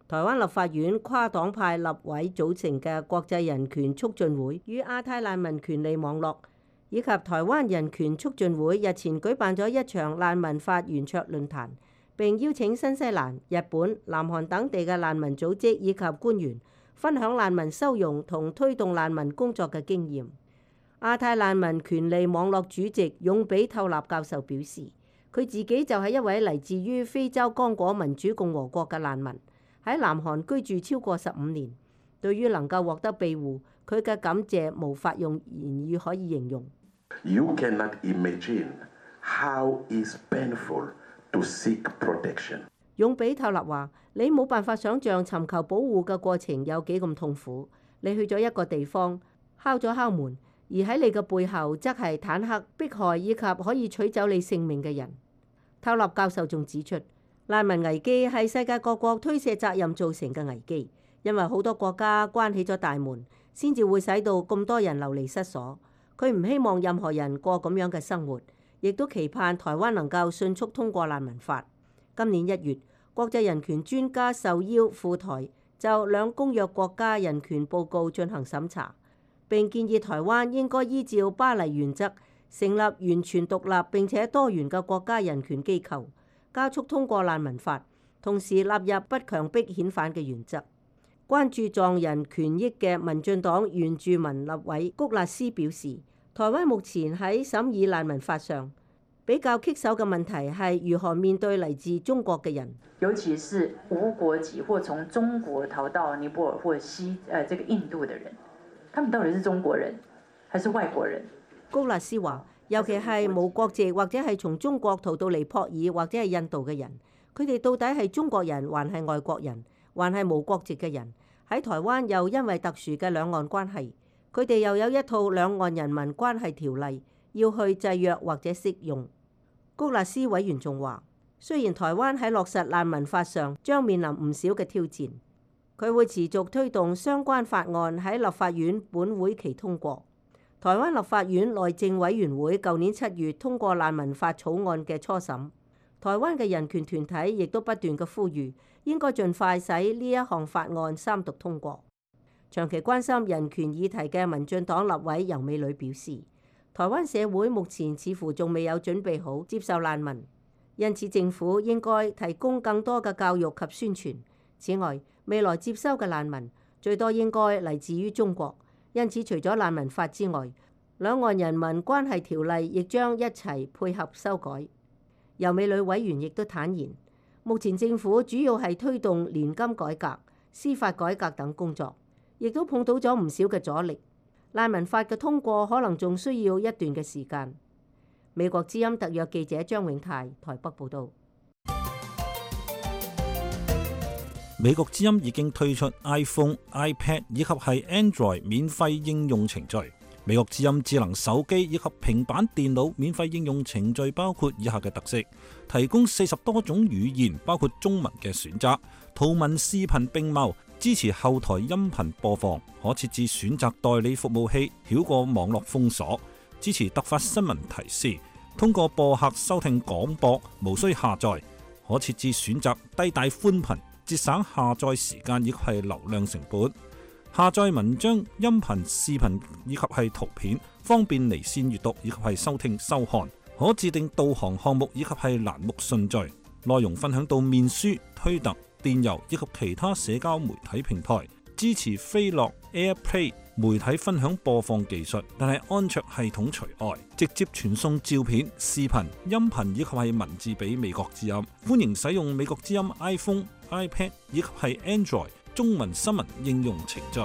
台灣立法院跨黨派立委組成嘅國際人權促進會與亞太難民權利網絡以及台灣人權促進會日前舉辦咗一場難民法圓桌論壇，並邀請新西蘭、日本、南韓等地嘅難民組織以及官員分享難民收容同推動難民工作嘅經驗。亞太難民權利網絡主席勇比透納教授表示，佢自己就係一位嚟自於非洲剛果民主共和國嘅難民，喺南韓居住超過15年。對於能夠獲得庇護，佢嘅感謝無法用言語可以形容。You cannot imagine how is painful to seek protection. 勇比透納話：你冇辦法想像尋求保護嘅過程有幾咁痛苦。你去咗一個地方，敲咗敲門。而喺你嘅背後，則係坦克、迫害以及可以取走你性命嘅人。透納教授仲指出，難民危機係世界各國推卸責任造成嘅危機，因為好多國家關起咗大門，先至會使到咁多人流離失所。佢唔希望任何人過咁樣嘅生活，亦都期盼台灣能夠迅速通過難民法。今年1月，國際人權專家受邀赴台，就兩公約國家人權報告進行審查。並建議台灣應該依照巴黎原則，成立完全獨立並且多元嘅國家人權機構，加速通過難民法，同時納入不強迫遣返嘅原則。關注藏人權益嘅民進黨原住民立委谷辣斯表示，台灣目前喺審議難民法上比較棘手嘅問題係如何面對嚟自中國嘅人，尤其是無國籍或從中國逃到尼泊爾或這個印度的人。他們到底是中國人還是外國人？谷辣斯話，尤其係無國籍或者係從中國逃到尼泊爾或者係印度嘅人，佢哋到底係中國人還係外國人，還係無國籍嘅人？喺台灣又因為特殊嘅兩岸關係，佢哋又有一套兩岸人民關係條例要去制約或者適用。谷辣斯委員仲話，雖然台灣喺落實難民法上將面臨唔少嘅挑戰，佢會持續推動相關法案喺立法院本會期通過。台灣立法院內政委員會舊年7月通過難民法草案嘅初審。台灣嘅人權團體亦都不斷嘅呼籲，應該盡快使呢一項法案三讀通過。長期關心人權議題嘅民進黨立委游美女表示，台灣社會目前似乎仲未有準備好接受難民，因此政府應該提供更多嘅教育及宣傳。此外，未來接收嘅難民最多應該嚟自於中國，因此除咗難民法之外，兩岸人民關係條例亦將一齊配合修改。游美女委員亦都坦言，目前政府主要係推動年金改革、司法改革等工作，亦都碰到咗唔少嘅阻力。難民法嘅通過可能仲需要一段嘅時間。美國之音特約記者張永泰台北報導。美國之音已經推出 iPhone、iPad 以及係 Android 免費應用程序。美國之音智能手機以及平板電腦免費應用程序包括以下嘅特色：提供40多種語言，包括中文嘅選擇，圖文視頻並茂，支持後台音頻播放，可設置選擇代理服務器，繞過網絡封鎖，支持突發新聞提示，通過播客收聽廣播，無需下載，可設置選擇低帶寬頻，節省下載時間以及係流量成本。下載文章、音頻、視頻以及係圖片，方便離線閱讀以及係收聽收看。可自定導航項目以及係欄目順序。內容分享到面書、推特、電郵以及其他社交媒體平台。支持飛樂 AirPlay 媒體分享播放技術，但係安卓系統除外。直接傳送照片、視頻、音頻以及係文字俾美國之音。歡迎使用美國之音 iPhone、iPad 以及係 Android中文新聞應用程序。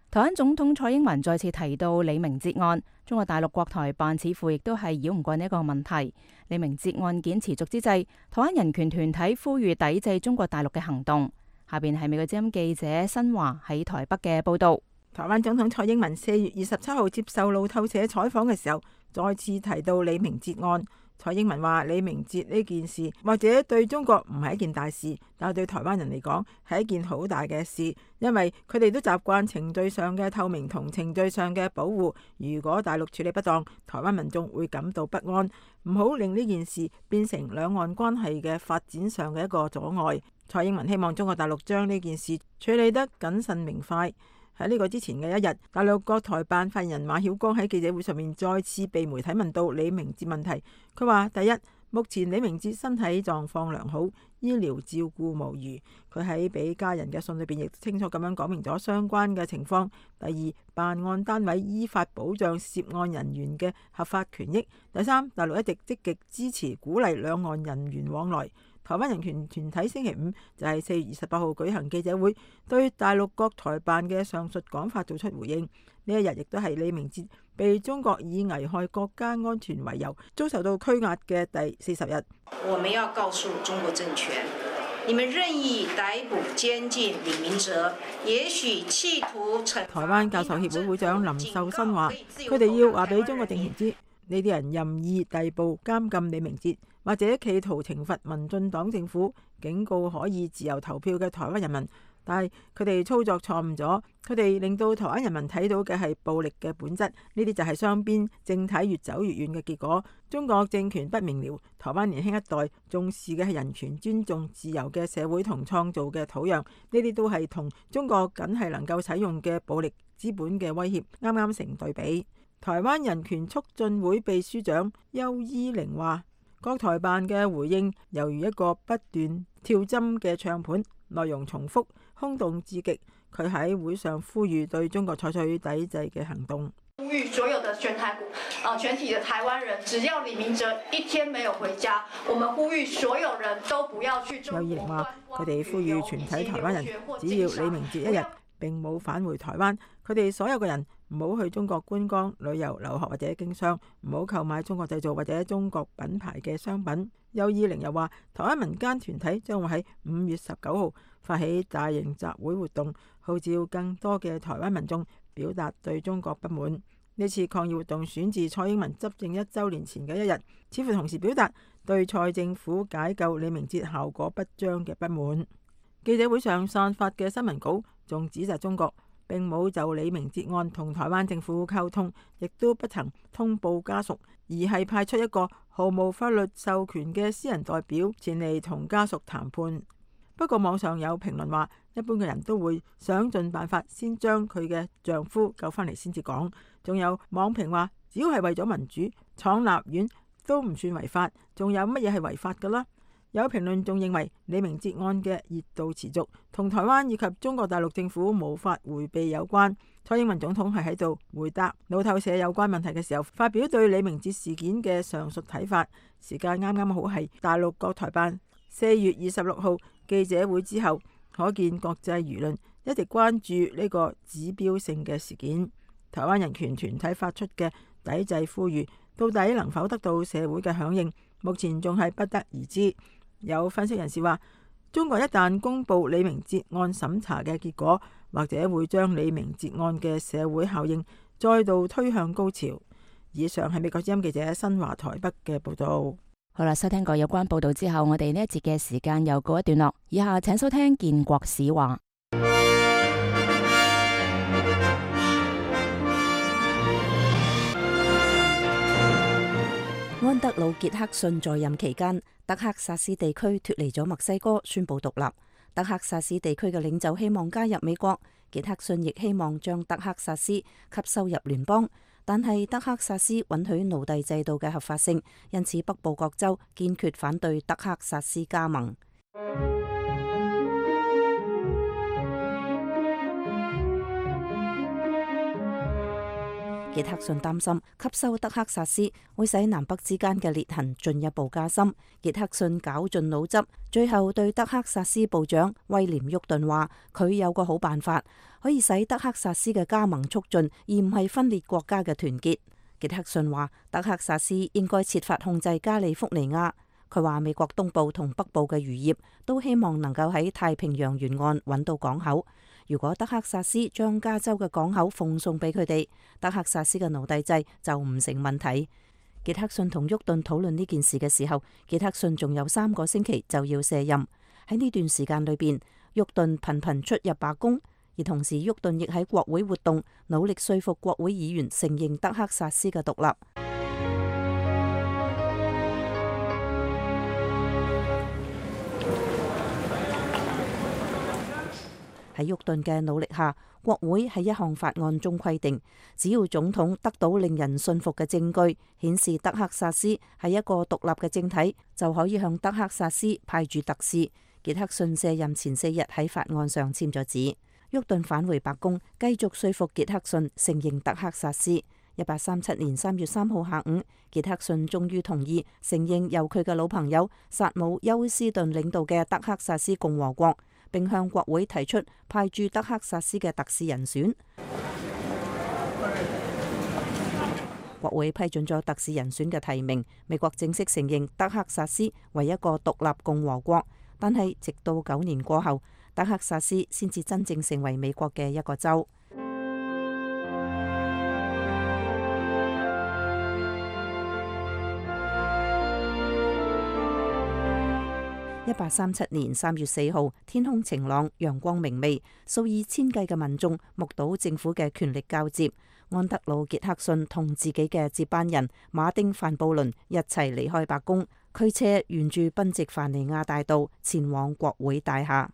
台灣總統蔡英文再次提到李明哲案，中國大陸國台辦似乎亦都係繞唔過呢一個問題。李明哲案件持續之際，台灣人權團體呼籲抵制中國大陸嘅行動。下邊係美國之音記者新華喺台北嘅報道。台灣總統蔡英文4月27號接受路透社採訪嘅時候，再次提到李明哲案。蔡英文話：李明哲呢件事或者對中國唔係一件大事，但係對台灣人嚟講係一件好大嘅事，因為佢哋都習慣程序上嘅透明同程序上嘅保護。如果大陸處理不當，台灣民眾會感到不安。唔好令呢件事變成兩岸關係嘅發展上嘅一個阻礙。蔡英文希望中國大陸將呢件事處理得謹慎明快。喺呢個之前嘅一日，大陸國台辦發言人馬曉光喺記者會上面再次被媒體問到李明哲問題。佢話：第一，目前李明哲身體狀況良好，醫療照顧無虞。佢喺俾家人嘅信裏邊亦清楚咁樣講明咗相關嘅情況。第二，辦案單位依法保障涉案人員嘅合法權益。第三，大陸一直積極支持鼓勵兩岸人員往來。台灣人權團體星期五就係4月28號舉行記者會，對大陸國台辦嘅上述講法做出回應。呢一日亦都係李明哲被中國以危害國家安全為由遭受到拘押嘅第40日。我們要告訴中國政權，你們任意逮捕監禁李明哲，也許企圖台灣教授協會會長林秀新話：佢哋要話俾中國政權知，呢啲人任意逮捕監禁李明哲，或者企圖懲罰民進黨政府，警告可以自由投票嘅台灣人民。但係佢哋操作錯誤咗，佢哋令到台灣人民睇到嘅係暴力嘅本質，呢啲就係雙邊政體越走越遠嘅結果。中國政權不明瞭，台灣年輕一代重視嘅係人權、尊重、自由嘅社會同創造嘅土壤，呢啲都係同中國僅係能夠使用嘅暴力資本嘅威脅啱啱成對比。台灣人權促進會秘書長邱依玲話：國台辦嘅回應猶如一個不斷跳針嘅唱盤，內容重複，空洞至極。佢喺會上呼籲對中國採取抵制嘅行動。呼籲所有的全體的台灣人，只要李明哲一天沒有回家，我們呼籲所有人都不要去中國。邱依玲話：佢哋呼籲全體台灣人，只要李明哲一日並冇返回台灣，佢哋所有嘅人唔好去中國觀光、旅遊、留學或者經商，唔好購買中國製造或者中國品牌嘅商品。邱依玲又話：台灣民間團體將會喺5月19號發起大型集會活動，號召更多嘅台灣民眾表達對中國不滿。呢次抗議活動選自蔡英文執政1週年前嘅一日，似乎同時表達對蔡政府解救李明哲效果不彰嘅不滿。記者會上散發嘅新聞稿仲指責中國並冇就李明哲案同台灣政府溝通，亦都不曾通報家屬，而係派出一個毫無法律授權嘅私人代表前嚟同家屬談判。不過網上有評論話，一般嘅人都會想盡辦法先將佢嘅丈夫救返嚟先至講。仲有網評話，只要係為咗民主，闖立院都唔算違法，仲有乜嘢係違法㗎啦？有評論仲認為李明哲案嘅熱度持續，同台灣以及中國大陸政府無法迴避有關。蔡英文總統係喺度回答路透社有關問題嘅時候，發表對李明哲事件嘅上述睇法。時間啱啱好係大陸國台辦4月26號記者會之後，可見國際輿論一直關注呢個指標性嘅事件。台灣人權團體發出嘅抵制呼籲，到底能否得到社會嘅響應，目前仲係不得而知。有分析人士話，中國一旦公布李明哲案審查嘅結果，或者會將李明哲案嘅社會效應再度推向高潮。以上係美國之音記者新華台北嘅報道。好啦，收聽過有關報道之後，我哋呢一節嘅時間又告一段落。以下請收聽建國史話。安德魯·傑克遜在任期間，德克薩斯地區脫離咗墨西哥，宣布獨立。德克薩斯地區嘅領袖希望加入美國，傑克遜亦希望將德克薩斯吸收入聯邦，但係德克薩斯允許奴隸制度嘅合法性，因此北部各州堅決反對德克薩斯加盟。傑克遜擔心吸收德克薩斯會使南北之間嘅裂痕進一步加深。傑克遜絞盡腦汁，最後對德克薩斯部長威廉沃頓話：佢有個好辦法，可以使德克薩斯嘅加盟促進，而唔係分裂國家嘅團結。傑克遜話：德克薩斯應該設法控制加利福尼亞。佢話美國東部同北部嘅漁業都希望能夠喺太平洋沿岸揾到港口。如果德克薩斯將加州嘅港口奉送俾佢哋，德克薩斯嘅奴隸制就唔成問題。傑克遜同沃頓討論呢件事嘅時候，傑克遜仲有3個星期就要卸任。喺呢段時間裏邊，沃頓頻頻出入白宮，而同時沃頓亦喺國會活動，努力說服國會議員承認德克薩斯嘅獨立。喺沃頓嘅努力下，國會喺一項法案中規定，只要總統得到令人信服嘅證據，顯示德克薩斯係一個獨立嘅政體，就可以向德克薩斯派駐特使。傑克遜卸任前4日喺法案上簽咗字。沃頓返回白宮，繼續說服傑克遜承認德克薩斯。1837年3月3號下午，傑克遜終於同意承認由佢嘅老朋友薩姆休斯頓領導嘅德克薩斯共和國，並向國會提出派駐德克薩斯嘅特使人選。國會批准咗特使人選嘅提名，美國正式承認德克薩斯為一個獨立共和國。但係直到9年過後，德克薩斯先至真正成為美國嘅一個州。1837年3月4號，天空晴朗，陽光明媚，數以千計嘅民眾目睹政府嘅權力交接。安德魯·傑克遜同自己嘅接班人馬丁·范布倫一齊離開白宮，驅車沿住賓夕凡尼亞大道前往國會大廈。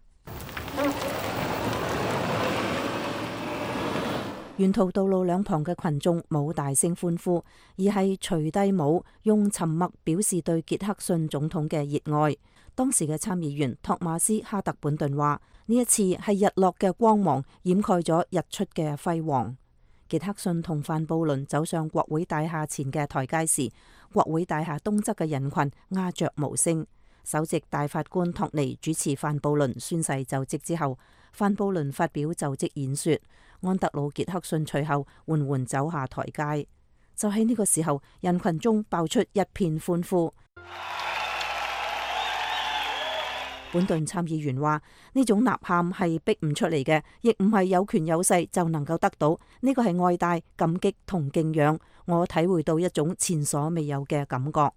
沿途道路兩旁嘅群眾冇大聲歡呼，而係除低帽，用沉默表示對傑克遜總統嘅熱愛。當時嘅參議員托馬斯·哈特本頓話：呢一次係日落嘅光芒掩蓋咗日出嘅輝煌。傑克遜同范布倫走上國會大廈前嘅台階時，國會大廈東側嘅人群鴉雀無聲。首席大法官托尼主持范布倫宣誓就職之後，范布倫發表就職演說，安德魯·傑克遜隨後緩緩走下台階。就喺呢個時候，人群中爆出一片歡呼。本頓參議員話：呢種吶喊係逼唔出嚟嘅，亦唔係有權有勢就能夠得到。呢個係愛戴、感激同敬仰。我體會到一種前所未有嘅感覺。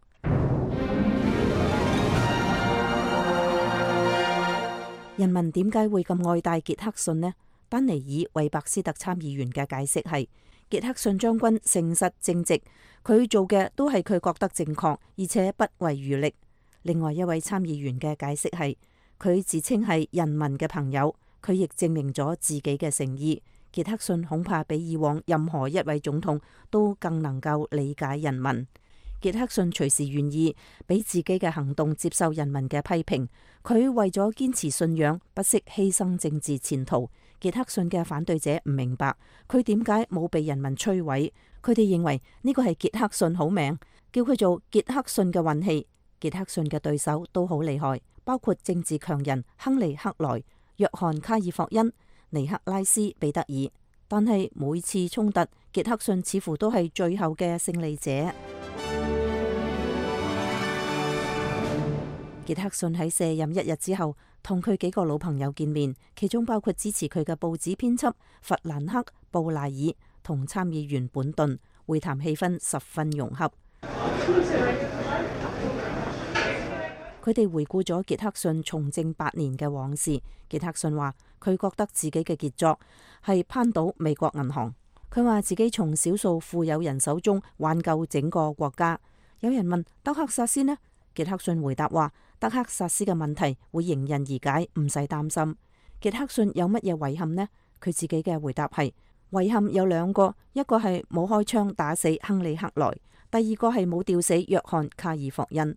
人民點解會咁愛戴傑克遜呢？丹尼爾·韋伯斯特參議員嘅解釋係：傑克遜將軍誠實正直，佢做嘅都係佢覺得正確，而且不遺餘力。另外一位參議員嘅解釋係，佢自稱係人民嘅朋友，佢亦證明咗自己嘅誠意。傑克遜恐怕比以往任何一位總統都更能夠理解人民。傑克遜隨時願意俾自己嘅行動接受人民嘅批評，佢為咗堅持信仰，不惜犧牲政治前途。傑克遜嘅反對者唔明白佢點解冇被人民摧毀，佢哋認為呢個係傑克遜好命，叫佢做傑克遜嘅運氣。傑克遜嘅對手都好厲害，包括政治強人亨利·克萊、約翰·卡爾霍恩。尼克拉斯彼得爾。但係每次衝突，傑克遜似乎都係最後嘅勝利者。傑克遜喺卸任1日之後，同佢幾個老朋友見面，其中包括支持佢嘅報紙編輯弗蘭克·布賴爾同參議員本頓。會談氣氛十分融洽。佢哋回顧咗傑克遜從政8年嘅往事。傑克遜話：佢覺得自己嘅傑作係攀倒美國銀行。佢話自己從少數富有人手中挽救整個國家。有人問德克薩斯呢？傑克遜回答話：德克薩斯嘅問題會迎刃而解，唔使擔心。傑克遜有乜嘢遺憾呢？佢自己嘅回答係：遺憾有2個，一個係冇開槍打死亨利克萊，第2個係冇吊死約翰卡爾霍恩。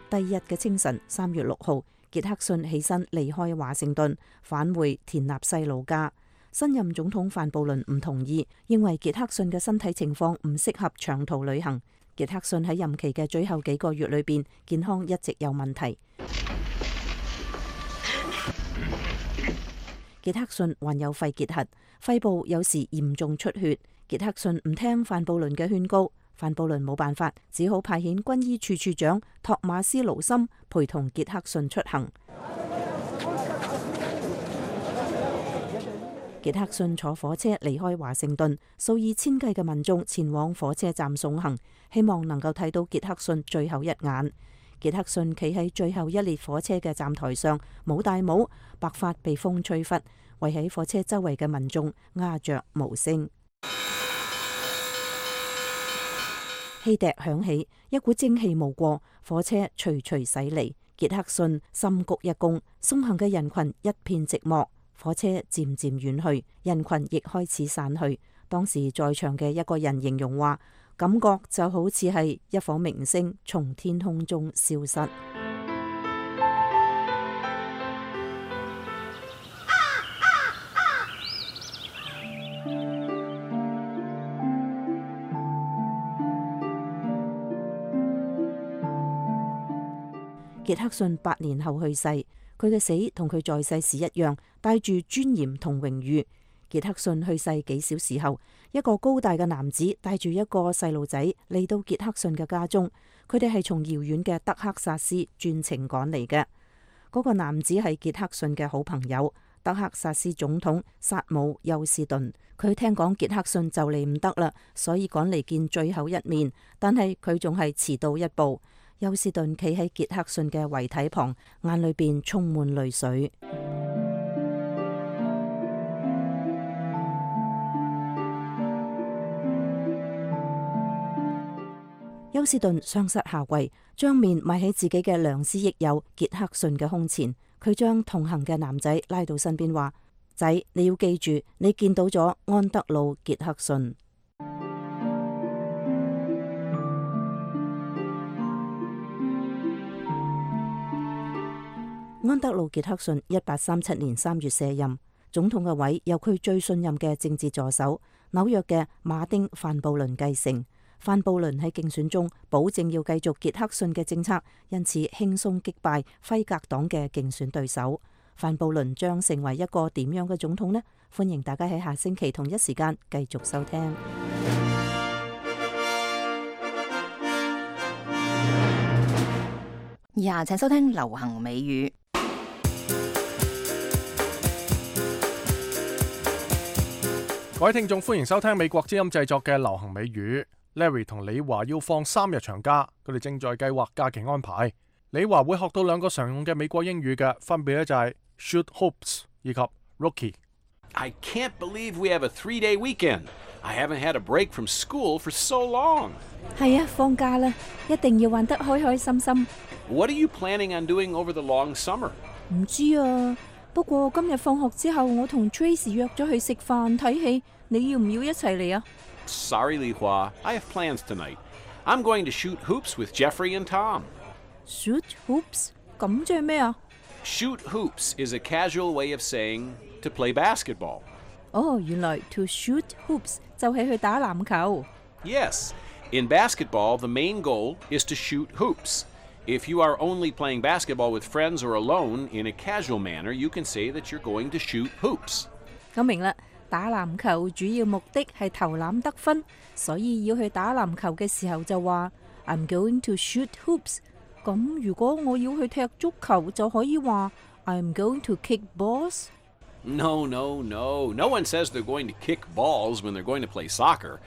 第2日嘅清晨，3月6號，傑克遜起身離開華盛頓，返回田納西老家。新任總統范布倫唔同意，認為傑克遜嘅身體情況唔適合長途旅行。傑克遜喺任期嘅最後幾個月裏邊，健康一直有問題。傑克遜患有肺結核，肺部有時嚴重出血。傑克遜唔聽范布倫嘅勸告，范布倫冇辦法，只好派遣軍醫處處長托馬斯盧森陪同傑克遜出行。傑克遜坐火車離開華盛頓，數以千計嘅民眾前往火車站送行，希望能夠睇到傑克遜最後一眼。傑克遜企喺最後一列火車嘅站台上，冇戴帽，白髮被風吹拂，圍喺火車周圍嘅民眾鴉雀無聲。汽笛響起，一股蒸汽冒過，火車徐徐駛離。傑克遜深鞠一躬，送行嘅人群一片寂寞。火車漸漸遠去，人群亦開始散去。當時在場嘅一個人形容話，感覺就好似係一顆明星從天空中消失。傑克遜8年後去世，佢嘅死同佢在世時一樣，帶住尊嚴同榮譽。傑克遜去世幾小時後，一個高大嘅男子帶住一個細路仔嚟到傑克遜嘅家中，佢哋係從遙遠嘅德克薩斯專程趕嚟嘅。嗰個男子係傑克遜嘅好朋友，德克薩斯總統薩姆休斯頓。佢聽講傑克遜就嚟唔得啦，所以趕嚟見最後一面，但係佢仲係遲到一步。休斯頓企喺傑克遜嘅遺體旁，眼裏邊充滿淚水。休斯頓雙膝下跪，將面埋喺自己嘅良師益友傑克遜嘅胸前。佢將同行嘅男仔拉到身邊，話：仔，你要記住，你見到咗安德魯·傑克遜。安德魯·傑克遜1837年3月卸任總統嘅位，由佢最信任嘅政治助手紐約嘅馬丁·范布倫繼承。范布倫喺競選中保證要繼續傑克遜嘅政策，因此輕鬆擊敗輝格黨嘅競選對手。范布倫將成為一個點樣嘅總統呢？歡迎大家喺下星期同一時間繼續收聽。以下請收聽流行美語。各位聽眾，歡迎收聽美國之音製作嘅流行美語。Larry 同李華要放3日長假，佢哋正在計劃假期安排。李華會學到2個常用嘅美國英語嘅，分別咧就係 shoot hoops 以及 rookie。 I can't believe we have a 3-day weekend. I haven't had a break from school for so long. 係啊，放假啦，一定要玩得開開心心。What are you planning on doing over the long summer? 唔知啊，不過今日放學之後，我同 Tracy 約咗去食飯睇戲，你要唔要一齊嚟啊？ Sorry, Li Hua. I have plans tonight. I'm going to shoot hoops with Jeffrey and Tom. Shoot hoops? 咁即係咩啊？ Shoot hoops is a casual way of saying to play basketball. 哦，原來 to shoot hoops 就係去打籃球。Yes, In basketball, the main goal is to shoot hoops. If you are only playing basketball with friends or alone in a casual manner, you can say that you're going to shoot hoops. 咁明啦，打籃球主要目的係投籃得分，所以要去打籃球嘅時候就話 I'm going to shoot hoops。咁如果我要去踢足球，就可以話 I'm going to kick balls。No one says they're going to kick balls when they're going to play soccer.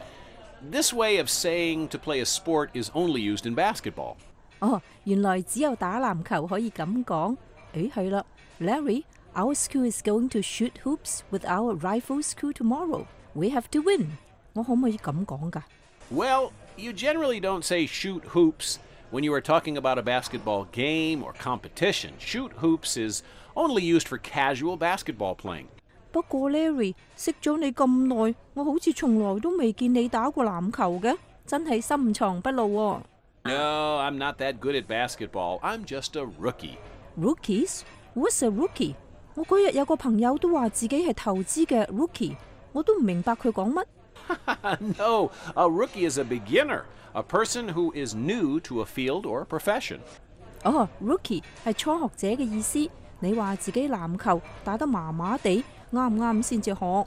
This way of saying to play a sport is only used in basketball. 哦，原來只有打籃球可以咁講。誒係啦 ，Larry，our school is going to shoot hoops with our rival school tomorrow. We have to win. 我可唔可以咁講㗎？ Well, you generally don't say shoot hoops when you are talking about a basketball game or competition. Shoot hoops is only used for casual basketball playing. 不過 Larry， 識咗你咁耐，我好似從來都未見你打過籃球嘅，真係深藏不露喎。No, I'm not that good at basketball. I'm just a rookie. Rookies? What's a rookie? 我嗰日有個朋友都話自己係投資嘅 rookie， 我都唔明白佢講乜。No, a rookie is a beginner, a person who is new to a field or a profession. 哦 ，rookie 係初學者嘅意思。你話自己籃球打得麻麻地，啱唔啱先至學？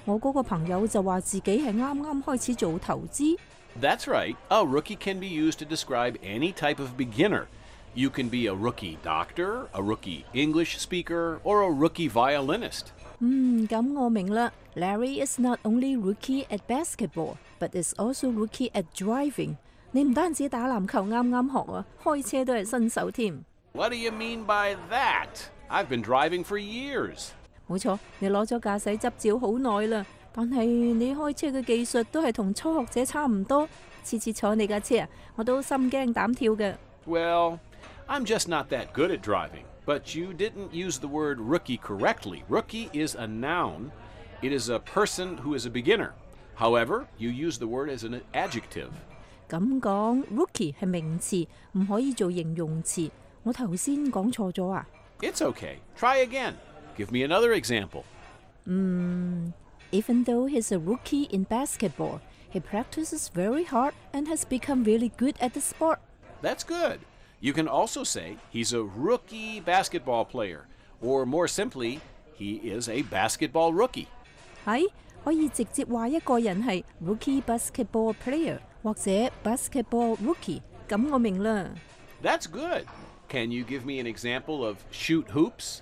我嗰個朋友就話自己係啱啱開始做投資。That's right. A rookie can be used to describe any type of beginner. You can be a rookie doctor, a rookie English speaker, or a rookie violinist. 咁我明啦。Larry is not only rookie at basketball, but is also rookie at driving. 你唔單止打籃球啱啱學啊，開車都係新手添。What do you mean by that? I've been driving for years. 冇錯，你攞咗駕駛執照好耐啦。但係你開車嘅技術都係同初學者差唔多，次次坐你架車啊，我都心驚膽跳嘅。Well, I'm just not that good at driving. But you didn't use the word rookie correctly. Rookie is a noun. It is a person who is a beginner. However, you use the word as an adjective. 咁講 ，rookie 係名詞，唔可以做形容詞。我頭先講錯咗啊？ It's okay. Try again. Give me another example. Even though he's a rookie in basketball, he practices very hard and has become really good at the sport. That's good. You can also say he's a rookie basketball player, or more simply, he is a basketball rookie. 係可以直接話一個人係 rookie basketball player 或者 basketball rookie， 咁我明啦。That's good. Can you give me an example of shoot hoops?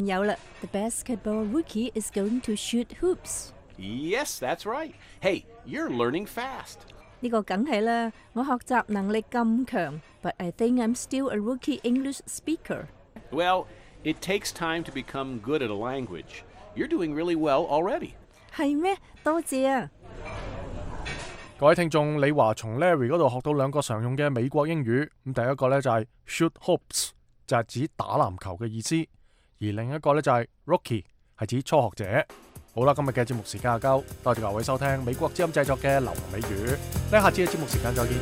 有啦。The basketball rookie is going to shoot hoops. Yes, that's right. Hey, you're learning fast. 呢個梗係啦，我學習能力咁強 ，but I think I'm still a rookie English speaker. Well, it takes time to become good at a language. You're doing really well already. 係咩？多謝啊！各位聽眾，李華從 Larry 嗰度學到兩個常用嘅美國英語。咁第一個呢就係 shoot hoops， 就係指打籃球嘅意思；而另一個呢就係 rookie， 係指初學者。好啦，今日嘅節目時間夠，多謝各位收聽美國之音製作嘅流行美語。下次嘅節目時間再見。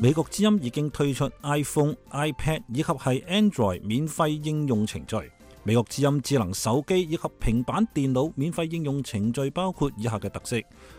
美國之音已經推出 iPhone、iPad 以及係 Android 免費應用程序。美國之音智能手機以及平板電腦免費應用程序包括以下嘅特色：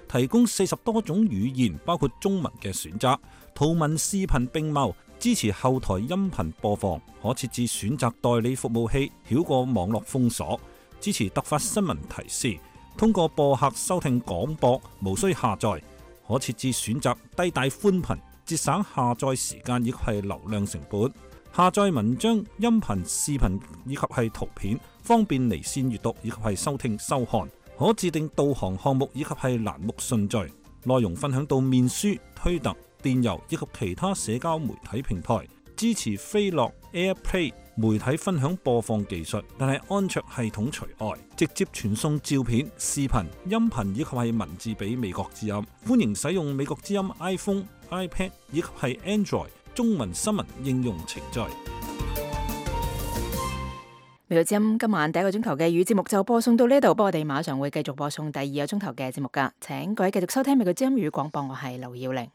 提供40多種語言，包括中文嘅選擇，圖文視頻並茂，支持後台音頻播放，可設置選擇代理服務器，繞過網絡封鎖，支持突發新聞提示，通過播客收聽廣播，無需下載，可設置選擇低帶寬頻，節省下載時間以及係流量成本。下載文章、音頻、視頻以及係圖片，方便離線閱讀以及係收聽收看。可自定導航項目以及係欄目順序。內容分享到面書、推特、電郵以及其他社交媒體平台。支持飛樂 AirPlay 媒體分享播放技術，但係安卓系統除外。直接傳送照片、視頻、音頻以及係文字俾美國之音。歡迎使用美國之音 iPhone、iPad 以及係 Android中文新聞應用程序。美國之音今晚第一個鐘頭嘅語節目就播送到呢度，不過我哋馬上會繼續播送第二個鐘頭嘅節目㗎。請各位繼續收聽美國之音語廣播，我係劉耀玲。